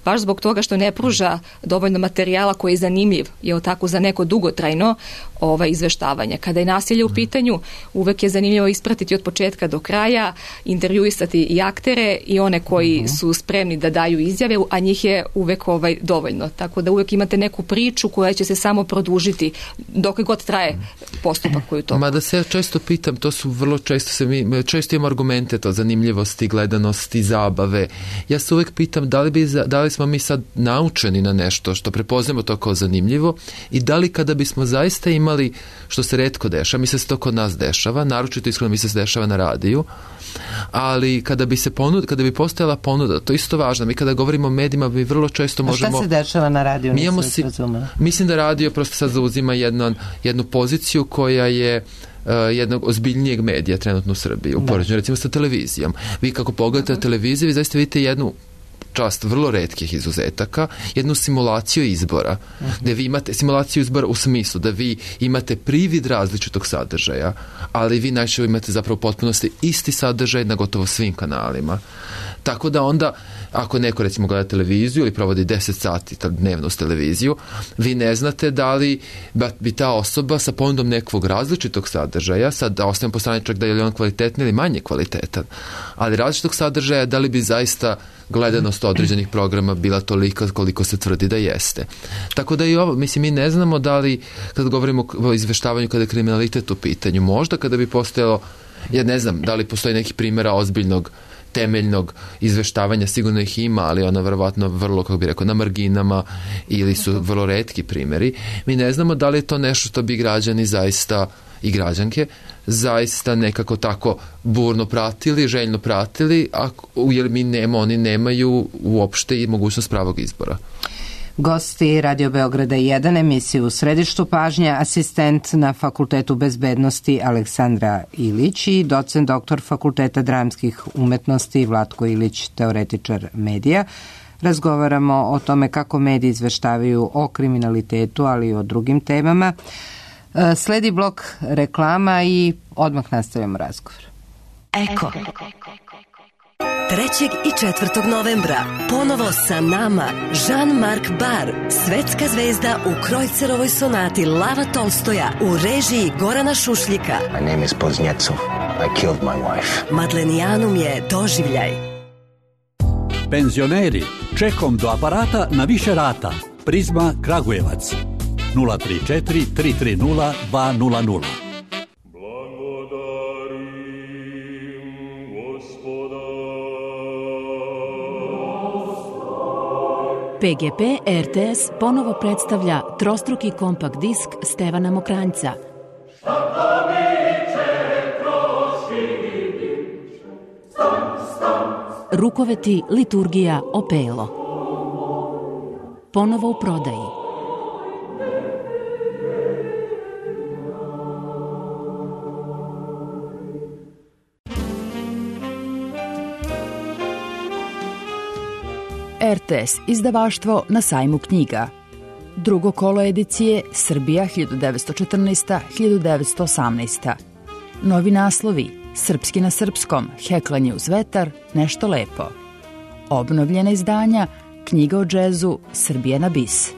baš zbog toga što ne pruža dovoljno materijala koji je zanimljiv, je tako, za neko dugotrajno ovaj, izveštavanje. Kada je nasilje u pitanju, uvek je zanimljivo ispratiti od početka do kraja, intervjuisati i aktere i one koji uh-huh. su spremni da daju izjave, a njih je uvek ovaj, dovoljno. Tako da uvek imate neku priču koja će se samo produžiti dok god god traje postupak koji to. Mada se ja često pitam, to su vrlo često se mi, često imamo argumente to zanimljivosti, gledanosti, zabave. Ja se uvek pitam da li, bi, da li smo mi sad naučeni na nešto što prepoznamo to kao zanimljivo i da li kada bismo zaista imali, što se retko dešava, mi se to kod nas dešava, naročito iskreno mi se dešava na radiju, ali kada bi se ponud, kada bi postojala ponuda, to je isto važno. Mi kada govorimo o medijima, mi vrlo često možemo... A šta se dešava na radiju? Mi imamo si, mislim da radio prosto sad zauzima jednu, jednu poziciju koja je Uh, jednog ozbiljnijeg medija trenutno u Srbiji, u poređenju recimo sa televizijom. Vi kako pogledate uh-huh. televiziju, vi zaista vidite jednu čast vrlo retkih izuzetaka, jednu simulaciju izbora, uh-huh. gde vi imate simulaciju izbora u smislu da vi imate privid različitog sadržaja, ali vi najčešće imate zapravo u potpunosti isti sadržaj na gotovo svim kanalima. Tako da onda, ako neko recimo gleda televiziju ili provodi deset sati dnevno s televiziju, vi ne znate da li bi ta osoba sa ponudom nekog različitog sadržaja, sad da ostavim po strani čak da je li on kvalitetni ili manje kvalitetan, ali različitog sadržaja, da li bi zaista gledanost određenih programa bila tolika koliko se tvrdi da jeste. Tako da i ovo, mislim, mi ne znamo da li, kad govorimo o izveštavanju kada je kriminalitet u pitanju, možda kada bi postojalo, ja ne znam, da li postoji neki primjera ozbiljnog temeljnog izveštavanja, sigurno ih ima, ali ona verovatno vrlo, kako bih rekao, na marginama ili su vrlo retki primjeri. Mi ne znamo da li je to nešto što bi građani zaista i građanke zaista nekako tako burno pratili, željno pratili, a, jer mi nema, oni nemaju uopšte i mogućnost pravog izbora. Gosti Radio Beograda jedan, emisiju u središtu pažnje, asistent na Fakultetu bezbednosti Aleksandra Ilić i docent doktor Fakulteta dramskih umetnosti Vlatko Ilić, teoretičar medija. Razgovaramo o tome kako mediji izveštavaju o kriminalitetu, ali i o drugim temama. Sledi blok reklama i odmah nastavljamo razgovor. Eko. trećeg i četvrtog novembra ponovo sa nama Jean-Marc Bar, svetska zvezda u Krojcerovoj sonati Lava Tolstoja u režiji Gorana Šušljika. My name is Poznjecov. I killed my wife. Madlenijanum je doživljaj. Penzioneri, čekom do aparata na više rata. Prizma Kragujevac. nula tri četiri tri tri nula dva nula nula. P G P R T S ponovo predstavlja trostruki kompakt disk Stevana Mokranjca. Rukoveti, liturgija, opelo. Ponovo u prodaji. R T S izdavaštvo na sajmu knjiga. Drugo kolo edicije Srbija hiljadu devetsto četrnaesta do hiljadu devetsto osamnaesta. Novi naslovi Srpski na srpskom, Heklanje uz vetar, Nešto lepo. Obnovljena izdanja Knjiga o džezu, Srbija na bis.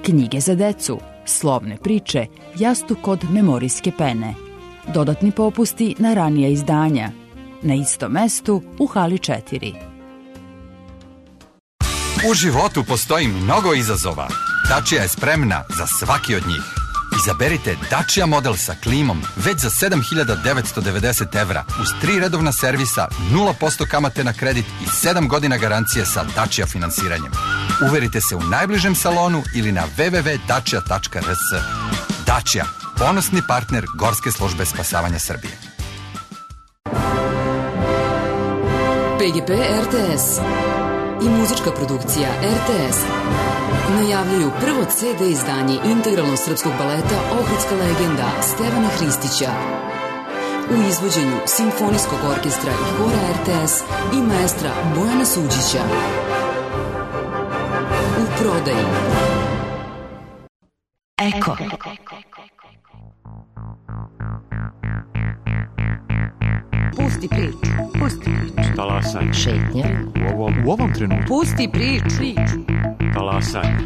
Knjige za decu, Slovne priče, Jastuk od memorijske pene. Dodatni popusti na ranija izdanja. Na istom mestu u hali četiri. U životu postoji mnogo izazova. Dacia je spremna za svaki od njih. Izaberite Dacia model sa klimom već za sedam hiljada devetsto devedeset evra uz tri redovna servisa, nula posto kamate na kredit i sedam godina garancije sa Dacia finansiranjem. Uverite se u najbližem salonu ili na w w w tačka dacia tačka r s. Dacia, ponosni partner Gorske službe spasavanja Srbije. P G P R T S i muzička produkcija R T S najavljuju prvo C D izdanje integralnog srpskog baleta Ohridska legenda Stevana Hristića u izvođenju Simfonijskog orkestra i hora R T S i maestra Bojana Suđića. U prodaji. Eko. Pusti priču. Pusti priču. Talasaj. Šetnja. U ovom, u ovom trenutku. Pusti priču. Talasaj.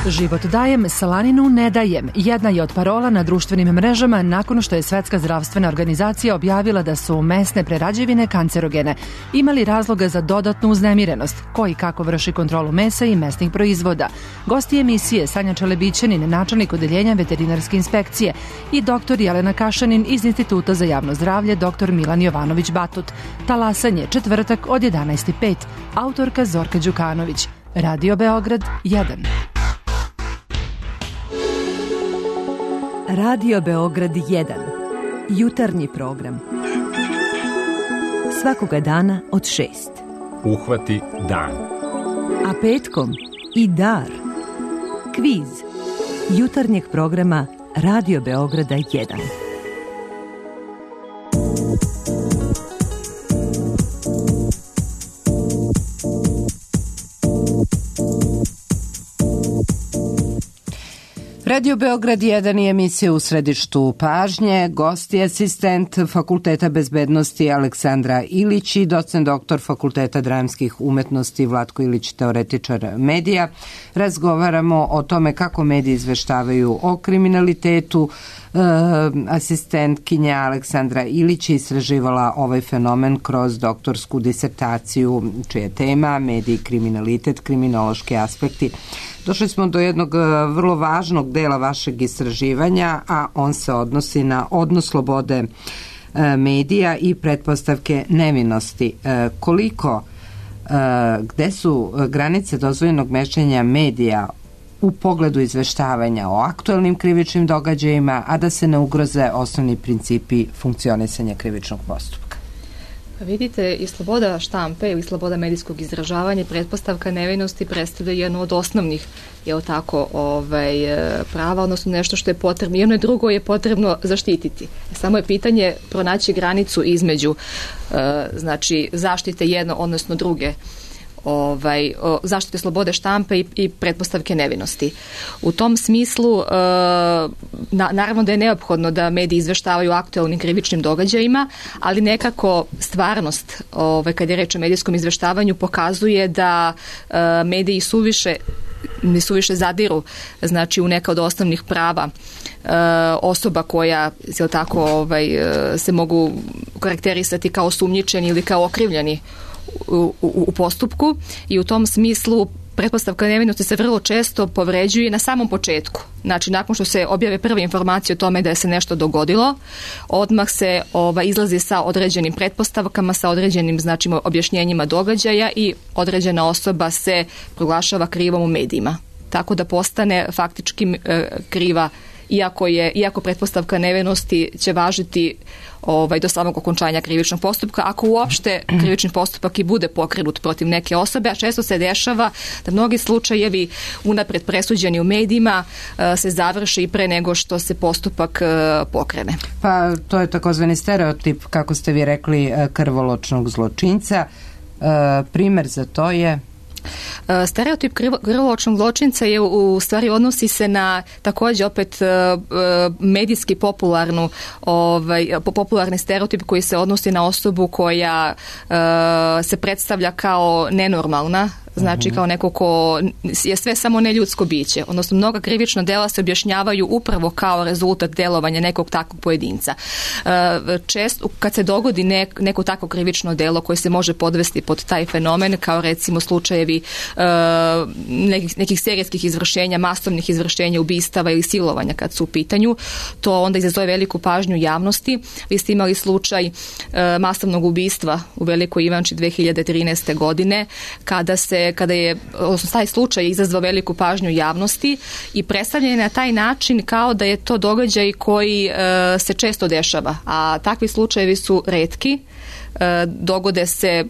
Život dajem, slaninu ne dajem. Jedna je od parola na društvenim mrežama nakon što je Svetska zdravstvena organizacija objavila da su mesne prerađevine kancerogene. Imali razloga za dodatnu uznemirenost, koji kako vrši kontrolu mesa i mesnih proizvoda. Gosti emisije Sanja Čelebićanin, načelnik odeljenja veterinarske inspekcije, i doktor Jelena Kašanin iz Instituta za javno zdravlje, doktor Milan Jovanović Batut. Talasanje, četvrtak od jedanaest i pet. Autorka Zorka Đukanović. Radio Beograd jedan. Radio Beograd jedan. Jutarnji program. Svakoga dana od šest. Uhvati dan. A petkom i dar. Kviz. Jutarnjeg programa Radio Beograda jedan. Radio Beograd jedan je emisija u središtu pažnje. Gost je asistent Fakulteta bezbednosti Aleksandra Ilić i docent doktor Fakulteta dramskih umetnosti Vlatko Ilić, teoretičar medija. Razgovaramo o tome kako mediji izveštavaju o kriminalitetu. E, asistentkinja Aleksandra Ilić je istraživala ovaj fenomen kroz doktorsku disertaciju, čija je tema mediji, kriminalitet, kriminološki aspekti. Došli smo do jednog vrlo važnog dela vašeg istraživanja, a on se odnosi na odnos slobode medija i pretpostavke nevinosti. Koliko, gde su granice dozvoljenog mešanja medija u pogledu izveštavanja o aktuelnim krivičnim događajima, a da se ne ugroze osnovni principi funkcionisanja krivičnog postupka? Pa vidite, i sloboda štampe ili sloboda medijskog izražavanja i pretpostavka nevinosti predstavlja jednu od osnovnih je tako, ovaj, prava, odnosno nešto što je potrebno. Jedno i drugo je potrebno zaštititi. Samo je pitanje pronaći granicu između znači, zaštite jedno, odnosno druge ovaj, zaštite slobode štampe i, i pretpostavke nevinosti. U tom smislu e, na, naravno da je neophodno da mediji izveštavaju aktuelnim krivičnim događajima, ali nekako stvarnost ovaj, kad je reč o medijskom izveštavanju pokazuje da e, mediji suviše ne suviše zadiru znači u neka od osnovnih prava e, osoba koja je tako, ovaj, se mogu karakterisati kao osumnjičeni ili kao okrivljeni U, u, u postupku i u tom smislu pretpostavka nevinosti se vrlo često povređuje na samom početku. Znači, nakon što se objave prve informacije o tome da je se nešto dogodilo, odmah se ova, izlazi sa određenim pretpostavkama, sa određenim znači, objašnjenjima događaja i određena osoba se proglašava krivom u medijima. Tako da postane faktički e, kriva, iako je iako pretpostavka nevinosti će važiti ovaj, do samog okončanja krivičnog postupka, ako uopšte krivični postupak i bude pokrenut protiv neke osobe, a često se dešava da mnogi slučajevi unapred presuđeni u medijima se završi i pre nego što se postupak pokrene. Pa to je takozvani stereotip, kako ste vi rekli, krvoločnog zločinca. Primer za to je... Stereotip krvoločnog zločinca je u stvari odnosi se na takođe opet medijski popularnu ovaj, popularni stereotip koji se odnosi na osobu koja se predstavlja kao nenormalna, znači kao neko ko je sve samo neljudsko biće. Odnosno, mnoga krivična dela se objašnjavaju upravo kao rezultat delovanja nekog takvog pojedinca. Često, kad se dogodi nek, neko takvo krivično delo koje se može podvesti pod taj fenomen, kao recimo slučajevi nekih, nekih serijskih izvršenja, masovnih izvršenja, ubistava ili silovanja kad su u pitanju, to onda izazove veliku pažnju javnosti. Vi ste imali slučaj masovnog ubistva u Velikoj Ivanči dve hiljade trinaeste. godine, kada se kada je, odnosno taj slučaj izazvao veliku pažnju javnosti i predstavljen je na taj način kao da je to događaj koji e, se često dešava, a takvi slučajevi su retki, e, dogode se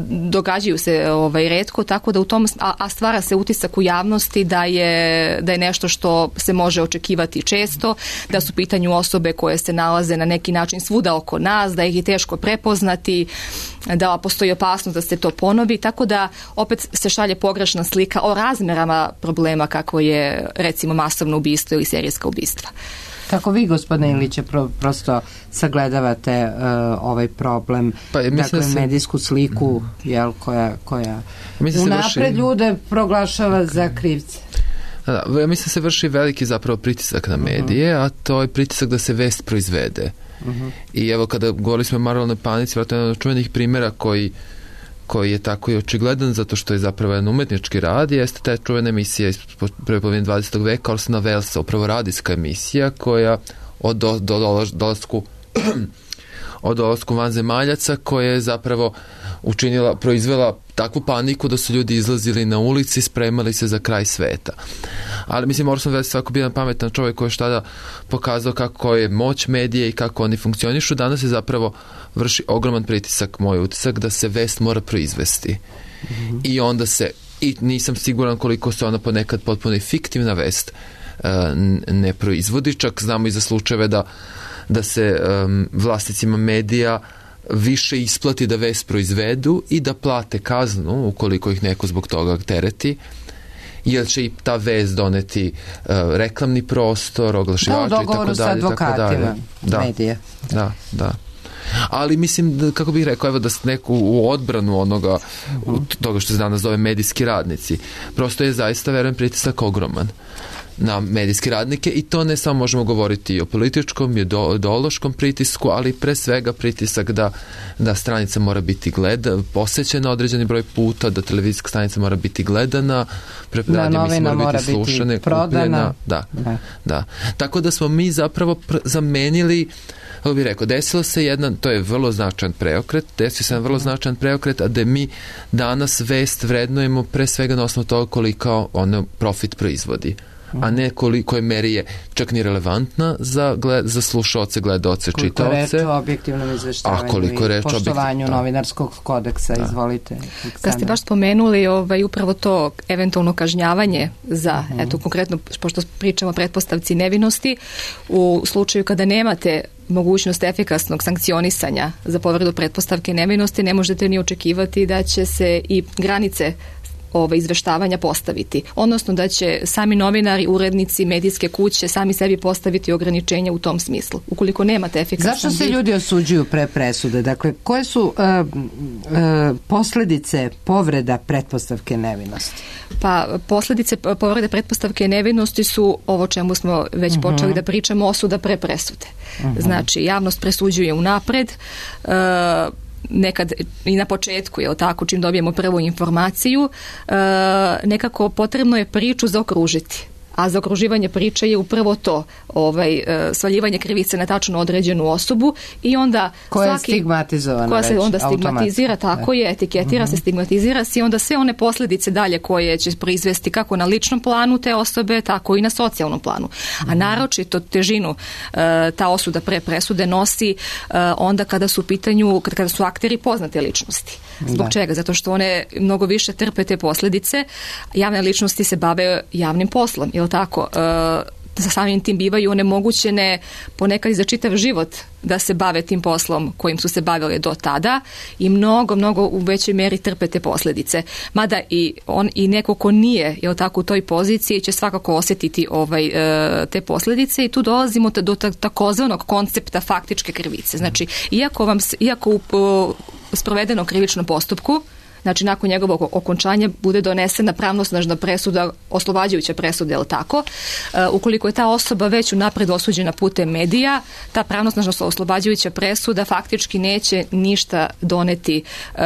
događaju se ovaj retko, tako da u tom a, a stvara se utisak u javnosti da je da je nešto što se može očekivati često, da su u pitanju osobe koje se nalaze na neki način svuda oko nas, da ih je teško prepoznati, da postoji opasnost da se to ponovi, tako da opet se šalje pogrešna slika o razmerama problema kako je recimo masovno ubistvo ili serijska ubistva. Kako vi, gospodine Iliće, pro, prosto sagledavate uh, ovaj problem, pa, dakle, se... medijsku sliku, jel, koja, koja unapred vrši... ljude proglašava za krivce? Da, da, ja mislim se vrši veliki zapravo pritisak na medije, uh-huh. a to je pritisak da se vest proizvede. Uh-huh. I evo kada govorili smo o Marlonoj panici, vjerojatno jedan od čuvenih primjera koji koji je tako i očigledan zato što je zapravo jedan umetnički rad, jeste ta čuvena emisija iz prve polovine dvadesetog veka Orsona Wellesa, upravo radijska emisija koja od do, do, do, dolasku od dolasku vanzemaljaca koja je zapravo učinila, proizvela takvu paniku da su ljudi izlazili na ulici, spremali se za kraj sveta. Ali mislim, Orson Welles svako bio jedan pametan čovjek koji je tada pokazao kako je moć medije i kako oni funkcionišu. Danas je zapravo vrši ogroman pritisak, moj utisak, da se vest mora proizvesti. Mm-hmm. I onda se, i nisam siguran koliko se ona ponekad potpuno fiktivna vest uh, ne proizvodi, čak znamo i za slučajeve da, da se um, vlasnicima medija više isplati da vest proizvedu i da plate kaznu ukoliko ih neko zbog toga tereti, jer će i ta vest doneti uh, reklamni prostor, oglašivača i tako dalje. Sa advokatima da, medija. Da, da. Ali mislim, da, kako bih rekao, evo da neku u odbranu onoga, uh-huh. toga što se danas zove medijski radnici, prosto je zaista, verujem, pritisak ogroman na medijske radnike i to ne samo možemo govoriti i o političkom i o ideološkom pritisku, ali pre svega pritisak da, da stranica mora biti gleda, posećena određeni broj puta, da televizijska stanica mora biti gledana, radio mora, mora biti slušane, prodana. Da, da, da. Tako da smo mi zapravo pr- zamenili, kako bih rekao, desilo se jedan, to je vrlo značajan preokret, desio se jedan vrlo značajan preokret, a da mi danas vest vrednujemo pre svega na osnovu toga koliko ono profit proizvodi, a ne koliko je meri je čak ni relevantna za, gled, za slušaoce, gledaoce, čitaoce. Koliko reč o objektivnom izveštavanju i poštovanju objektiv... novinarskog kodeksa, da. Izvolite. Aleksandra. Kad ste baš spomenuli ovaj, upravo to eventualno kažnjavanje za, uh-huh. eto konkretno, pošto pričamo o pretpostavci nevinosti, u slučaju kada nemate mogućnost efikasnog sankcionisanja za povredu pretpostavke nevinosti, ne možete ni očekivati da će se i granice ove izveštavanja postaviti. Odnosno da će sami novinari, urednici, medijske kuće sami sebi postaviti ograničenja u tom smislu. Ukoliko nemate efikasan... Zašto se ljudi osuđuju pre presude? Dakle, koje su uh, uh, posljedice povreda pretpostavke nevinosti? Pa, posljedice povrede pretpostavke nevinosti su ovo čemu smo već uh-huh. počeli da pričamo, osuda pre presude. Uh-huh. Znači, javnost presuđuje unapred, uh, nekad i na početku, je li tako, čim dobijemo prvu informaciju, e, nekako potrebno je priču zaokružiti. A zaokruživanje priče je upravo to, ovaj, e, svaljivanje krivice na tačno određenu osobu i onda koja svaki, je stigmatizovana koja se već, onda stigmatizira, tako je, etiketira uh-huh. se, stigmatizira se i onda sve one posljedice dalje koje će proizvesti kako na ličnom planu te osobe, tako i na socijalnom planu. Uh-huh. A naročito težinu e, ta osuda pre presude nosi e, onda kada su u pitanju, kada su akteri poznate ličnosti. Zbog da. Čega? Zato što one mnogo više trpe te posljedice. Javne ličnosti se bave javnim poslom, je li tako? E, sa samim tim bivaju onemogućene ponekad i za čitav život da se bave tim poslom kojim su se bavile do tada i mnogo, mnogo u većoj meri trpe te posljedice. Mada i on i neko ko nije, je li tako, u toj poziciji će svakako osjetiti ovaj, e, te posljedice i tu dolazimo do takozvanog koncepta faktičke krivice. Znači, iako vam, iako u, u sprovedenom krivičnom postupku, znači nakon njegovog okončanja bude donesena pravnosnažna presuda, oslobađajuća presuda, je li tako? E, ukoliko je ta osoba već unapred osuđena putem medija, ta pravnosnažna oslobađajuća presuda faktički neće ništa doneti e,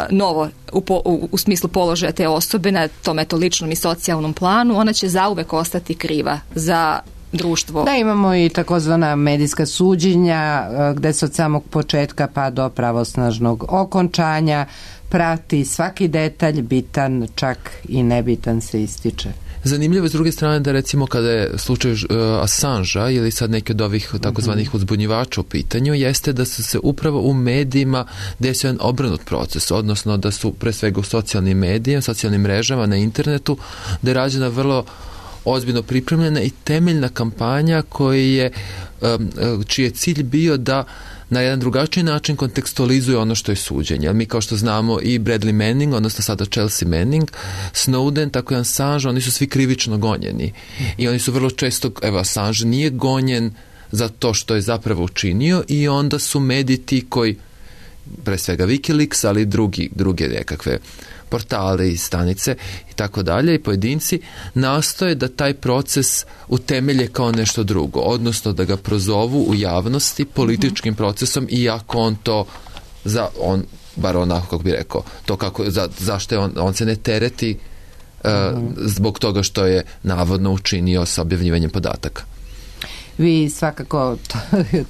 novo u, po, u, u smislu položaja te osobe na tom eto ličnom i socijalnom planu. Ona će zauvek ostati kriva za društvo. Da, imamo i takozvana medijska suđenja gde se od samog početka pa do pravosnažnog okončanja prati svaki detalj, bitan, čak i nebitan se ističe. Zanimljivo je s druge strane da recimo kada je slučaj uh, Assangea ili sad neki od ovih takozvanih uzbunjivača u pitanju, jeste da su se upravo u medijima desio jedan obrnut proces, odnosno da su pre svega u socijalnim medijima, socijalnim mrežama, na internetu, da je rađena vrlo ozbiljno pripremljena i temeljna kampanja koji je, um, čiji je cilj bio da na jedan drugačiji način kontekstualizuje ono što je suđenje. Mi kao što znamo i Bradley Manning, odnosno sada Chelsea Manning, Snowden, tako i Assange, oni su svi krivično gonjeni. I oni su vrlo često, evo Assange nije gonjen za to što je zapravo učinio i onda su mediji ti koji pre svega Wikileaks, ali i drugi, druge nekakve portale i stanice i tako dalje i pojedinci nastoje da taj proces utemelje kao nešto drugo, odnosno da ga prozovu u javnosti političkim procesom, iako on to za on bar onako kako bi rekao to kako, za, zašto je on, on se ne tereti uh, zbog toga što je navodno učinio sa objavljivanjem podataka. Vi svakako, to,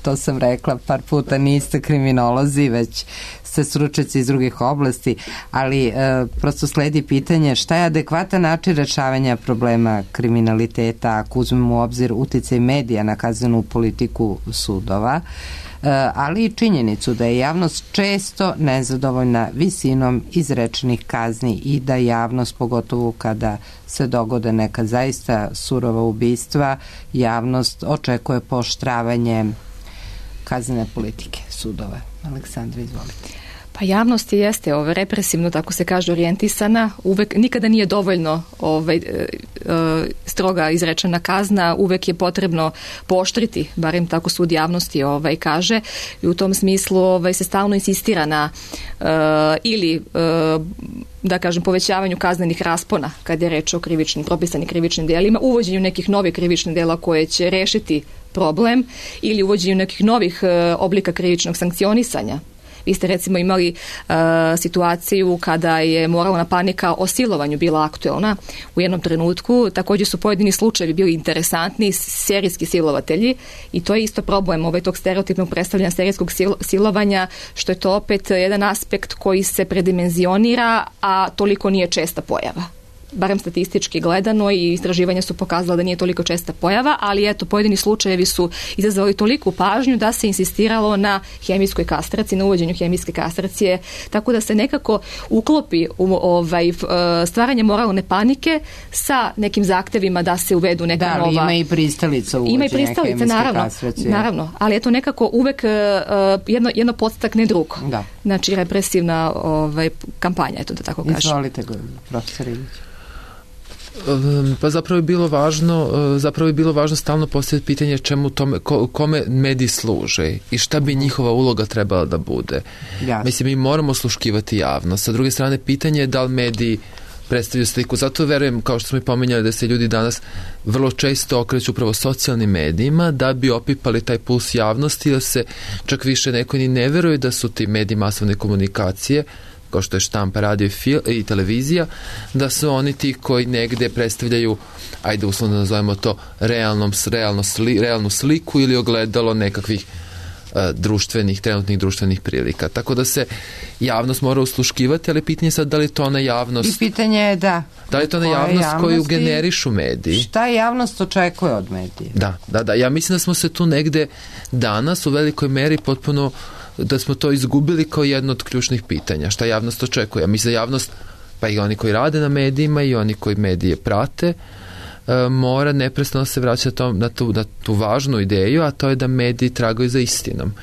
to sam rekla par puta, niste kriminolozi, već ste stručnjaci iz drugih oblasti, ali e, prosto sledi pitanje šta je adekvatan način rešavanja problema kriminaliteta ako uzmemo u obzir uticaj medija na kaznenu politiku sudova, e, ali i činjenicu da je javnost često nezadovoljna visinom izrečenih kazni i da javnost, pogotovo kada se dogode neka zaista surova ubistva, javnost očekuje pooštravanje kaznene politike sudova. Aleksandra, izvolite. Pa javnost jeste ovaj, represivno, tako se kaže, orijentisana. Uvek, nikada nije dovoljno ovaj, e, e, stroga izrečena kazna, uvek je potrebno pooštriti, barem tako sud javnosti ovaj, kaže. I u tom smislu ovaj, se stalno insistira na e, ili e, da kažem povećavanju kaznenih raspona kad je reč o krivičnim, propisanim krivičnim delima, uvođenju nekih novih krivičnih dela koje će rešiti problem ili uvođenju nekih novih e, oblika krivičnog sankcionisanja. Vi ste recimo imali uh, situaciju kada je moralna panika o silovanju bila aktuelna u jednom trenutku. Također su pojedini slučajevi bili interesantni, serijski silovatelji, i to je isto problem ovaj tog stereotipnog predstavljanja serijskog sil- silovanja, što je to opet jedan aspekt koji se predimenzionira, a toliko nije česta pojava. Barem statistički gledano, i istraživanja su pokazala da nije toliko česta pojava, ali eto, pojedini slučajevi su izazvali toliku pažnju da se insistiralo na hemijskoj kastraciji, na uvođenju hemijske kastracije, tako da se nekako uklopi u ovaj, stvaranje moralne panike sa nekim zahtevima da se uvedu neka da, nova... Da, ima i pristalica uvođenja ima i pristalica, hemijske naravno, kastracije. Naravno, ali eto nekako uvek uh, jedno, jedno podstakne drugo. Da. Znači represivna ovaj, kampanja, eto da tako kažem. Izvolite, profesor Ilić. Pa zapravo je bilo važno, zapravo je bilo važno stalno postaviti pitanje čemu tome, ko, kome mediji služe i šta bi njihova uloga trebala da bude. Jasne. Mislim, mi moramo sluškivati javnost. Sa druge strane, pitanje je da li mediji predstavljaju sliku. Zato verujem, kao što smo i pomenjali, da se ljudi danas vrlo često okreću upravo socijalnim medijima da bi opipali taj puls javnosti, da se čak više neko ni ne veruje da su ti mediji masovne komunikacije, kao što je štampa, radio i televizija, da su oni ti koji negde predstavljaju, ajde uslovno da nazovemo to, realnom, realno sli, realnu sliku ili ogledalo nekakvih uh, društvenih, trenutnih društvenih prilika. Tako da se javnost mora usluškivati, ali pitanje je sad da li to ona javnost... I pitanje je da. Da li to ona javnost koju generišu mediji? Šta javnost očekuje od medija? Da, da, da. Ja mislim da smo se tu negde danas u velikoj meri potpuno da smo to izgubili kao jedno od ključnih pitanja. Šta javnost očekuje? Ja mislim da javnost, pa i oni koji rade na medijima i oni koji medije prate, e, mora neprestano se vraćati to, na, tu, na tu važnu ideju, a to je da mediji tragaju za istinom.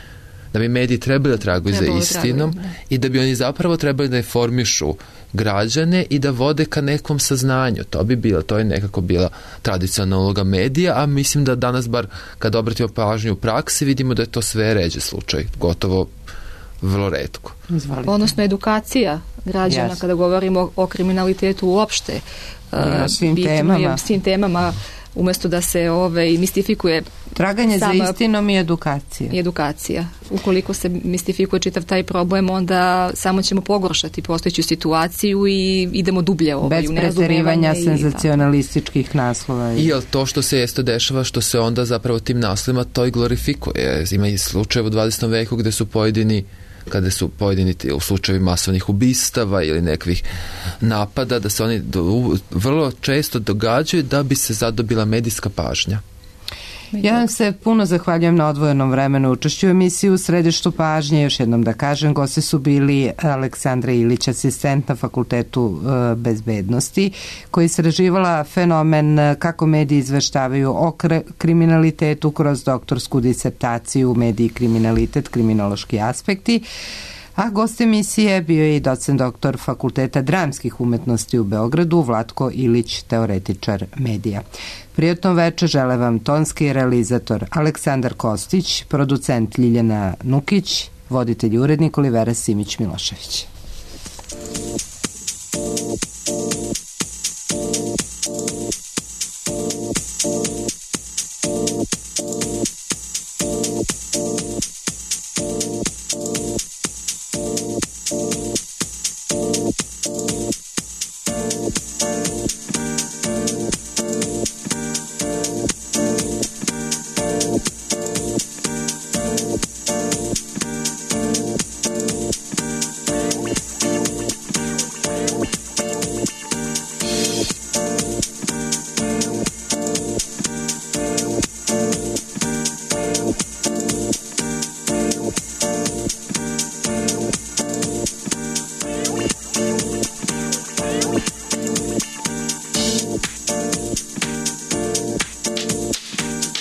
Da bi mediji trebali da tragaju za istinom tragaju, da. I da bi oni zapravo trebali da informišu građane i da vode ka nekom saznanju. To bi bilo, to je nekako bila tradicionalna uloga medija, a mislim da danas, bar kad obratimo pažnju u praksi, vidimo da je to sve ređe slučaj, gotovo vrlo retko. Izvolite. Odnosno edukacija građana, yes. Kada govorimo o kriminalitetu uopšte, ja, svim bitno temama. Je svim temama, umjesto da se ovaj, mistifikuje traganje sama, za istinom i edukacija. I edukacija. Ukoliko se mistifikuje čitav taj problem, onda samo ćemo pogoršati postojeću situaciju i idemo dublje ovaj, bez preterivanja senzacionalističkih naslova. I jel to što se jesto dešava, što se onda zapravo tim naslovima to i glorifikuje. Ima i slučaje u dvadesetom veku gde su pojedini kada su pojedini u slučajevi masovnih ubistava ili nekvih napada, da se oni do, vrlo često događaju da bi se zadobila medijska pažnja. Ja vam se puno zahvaljujem na odvojenom vremenu učešću u emisiji U središtu pažnje. Još jednom da kažem, gosti su bili Aleksandra Ilić, asistent na Fakultetu e, bezbednosti, koji istraživala fenomen kako mediji izveštavaju o kr- kriminalitetu kroz doktorsku disertaciju Mediji i kriminalitet, kriminološki aspekti. A gost emisije bio je i docent doktor Fakulteta dramskih umetnosti u Beogradu, Vlatko Ilić, teoretičar medija. Prijatno večer žele vam tonski realizator Aleksandar Kostić, producent Ljiljana Nukić Voditelj i urednik Olivera Simić-Milošević.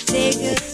Take a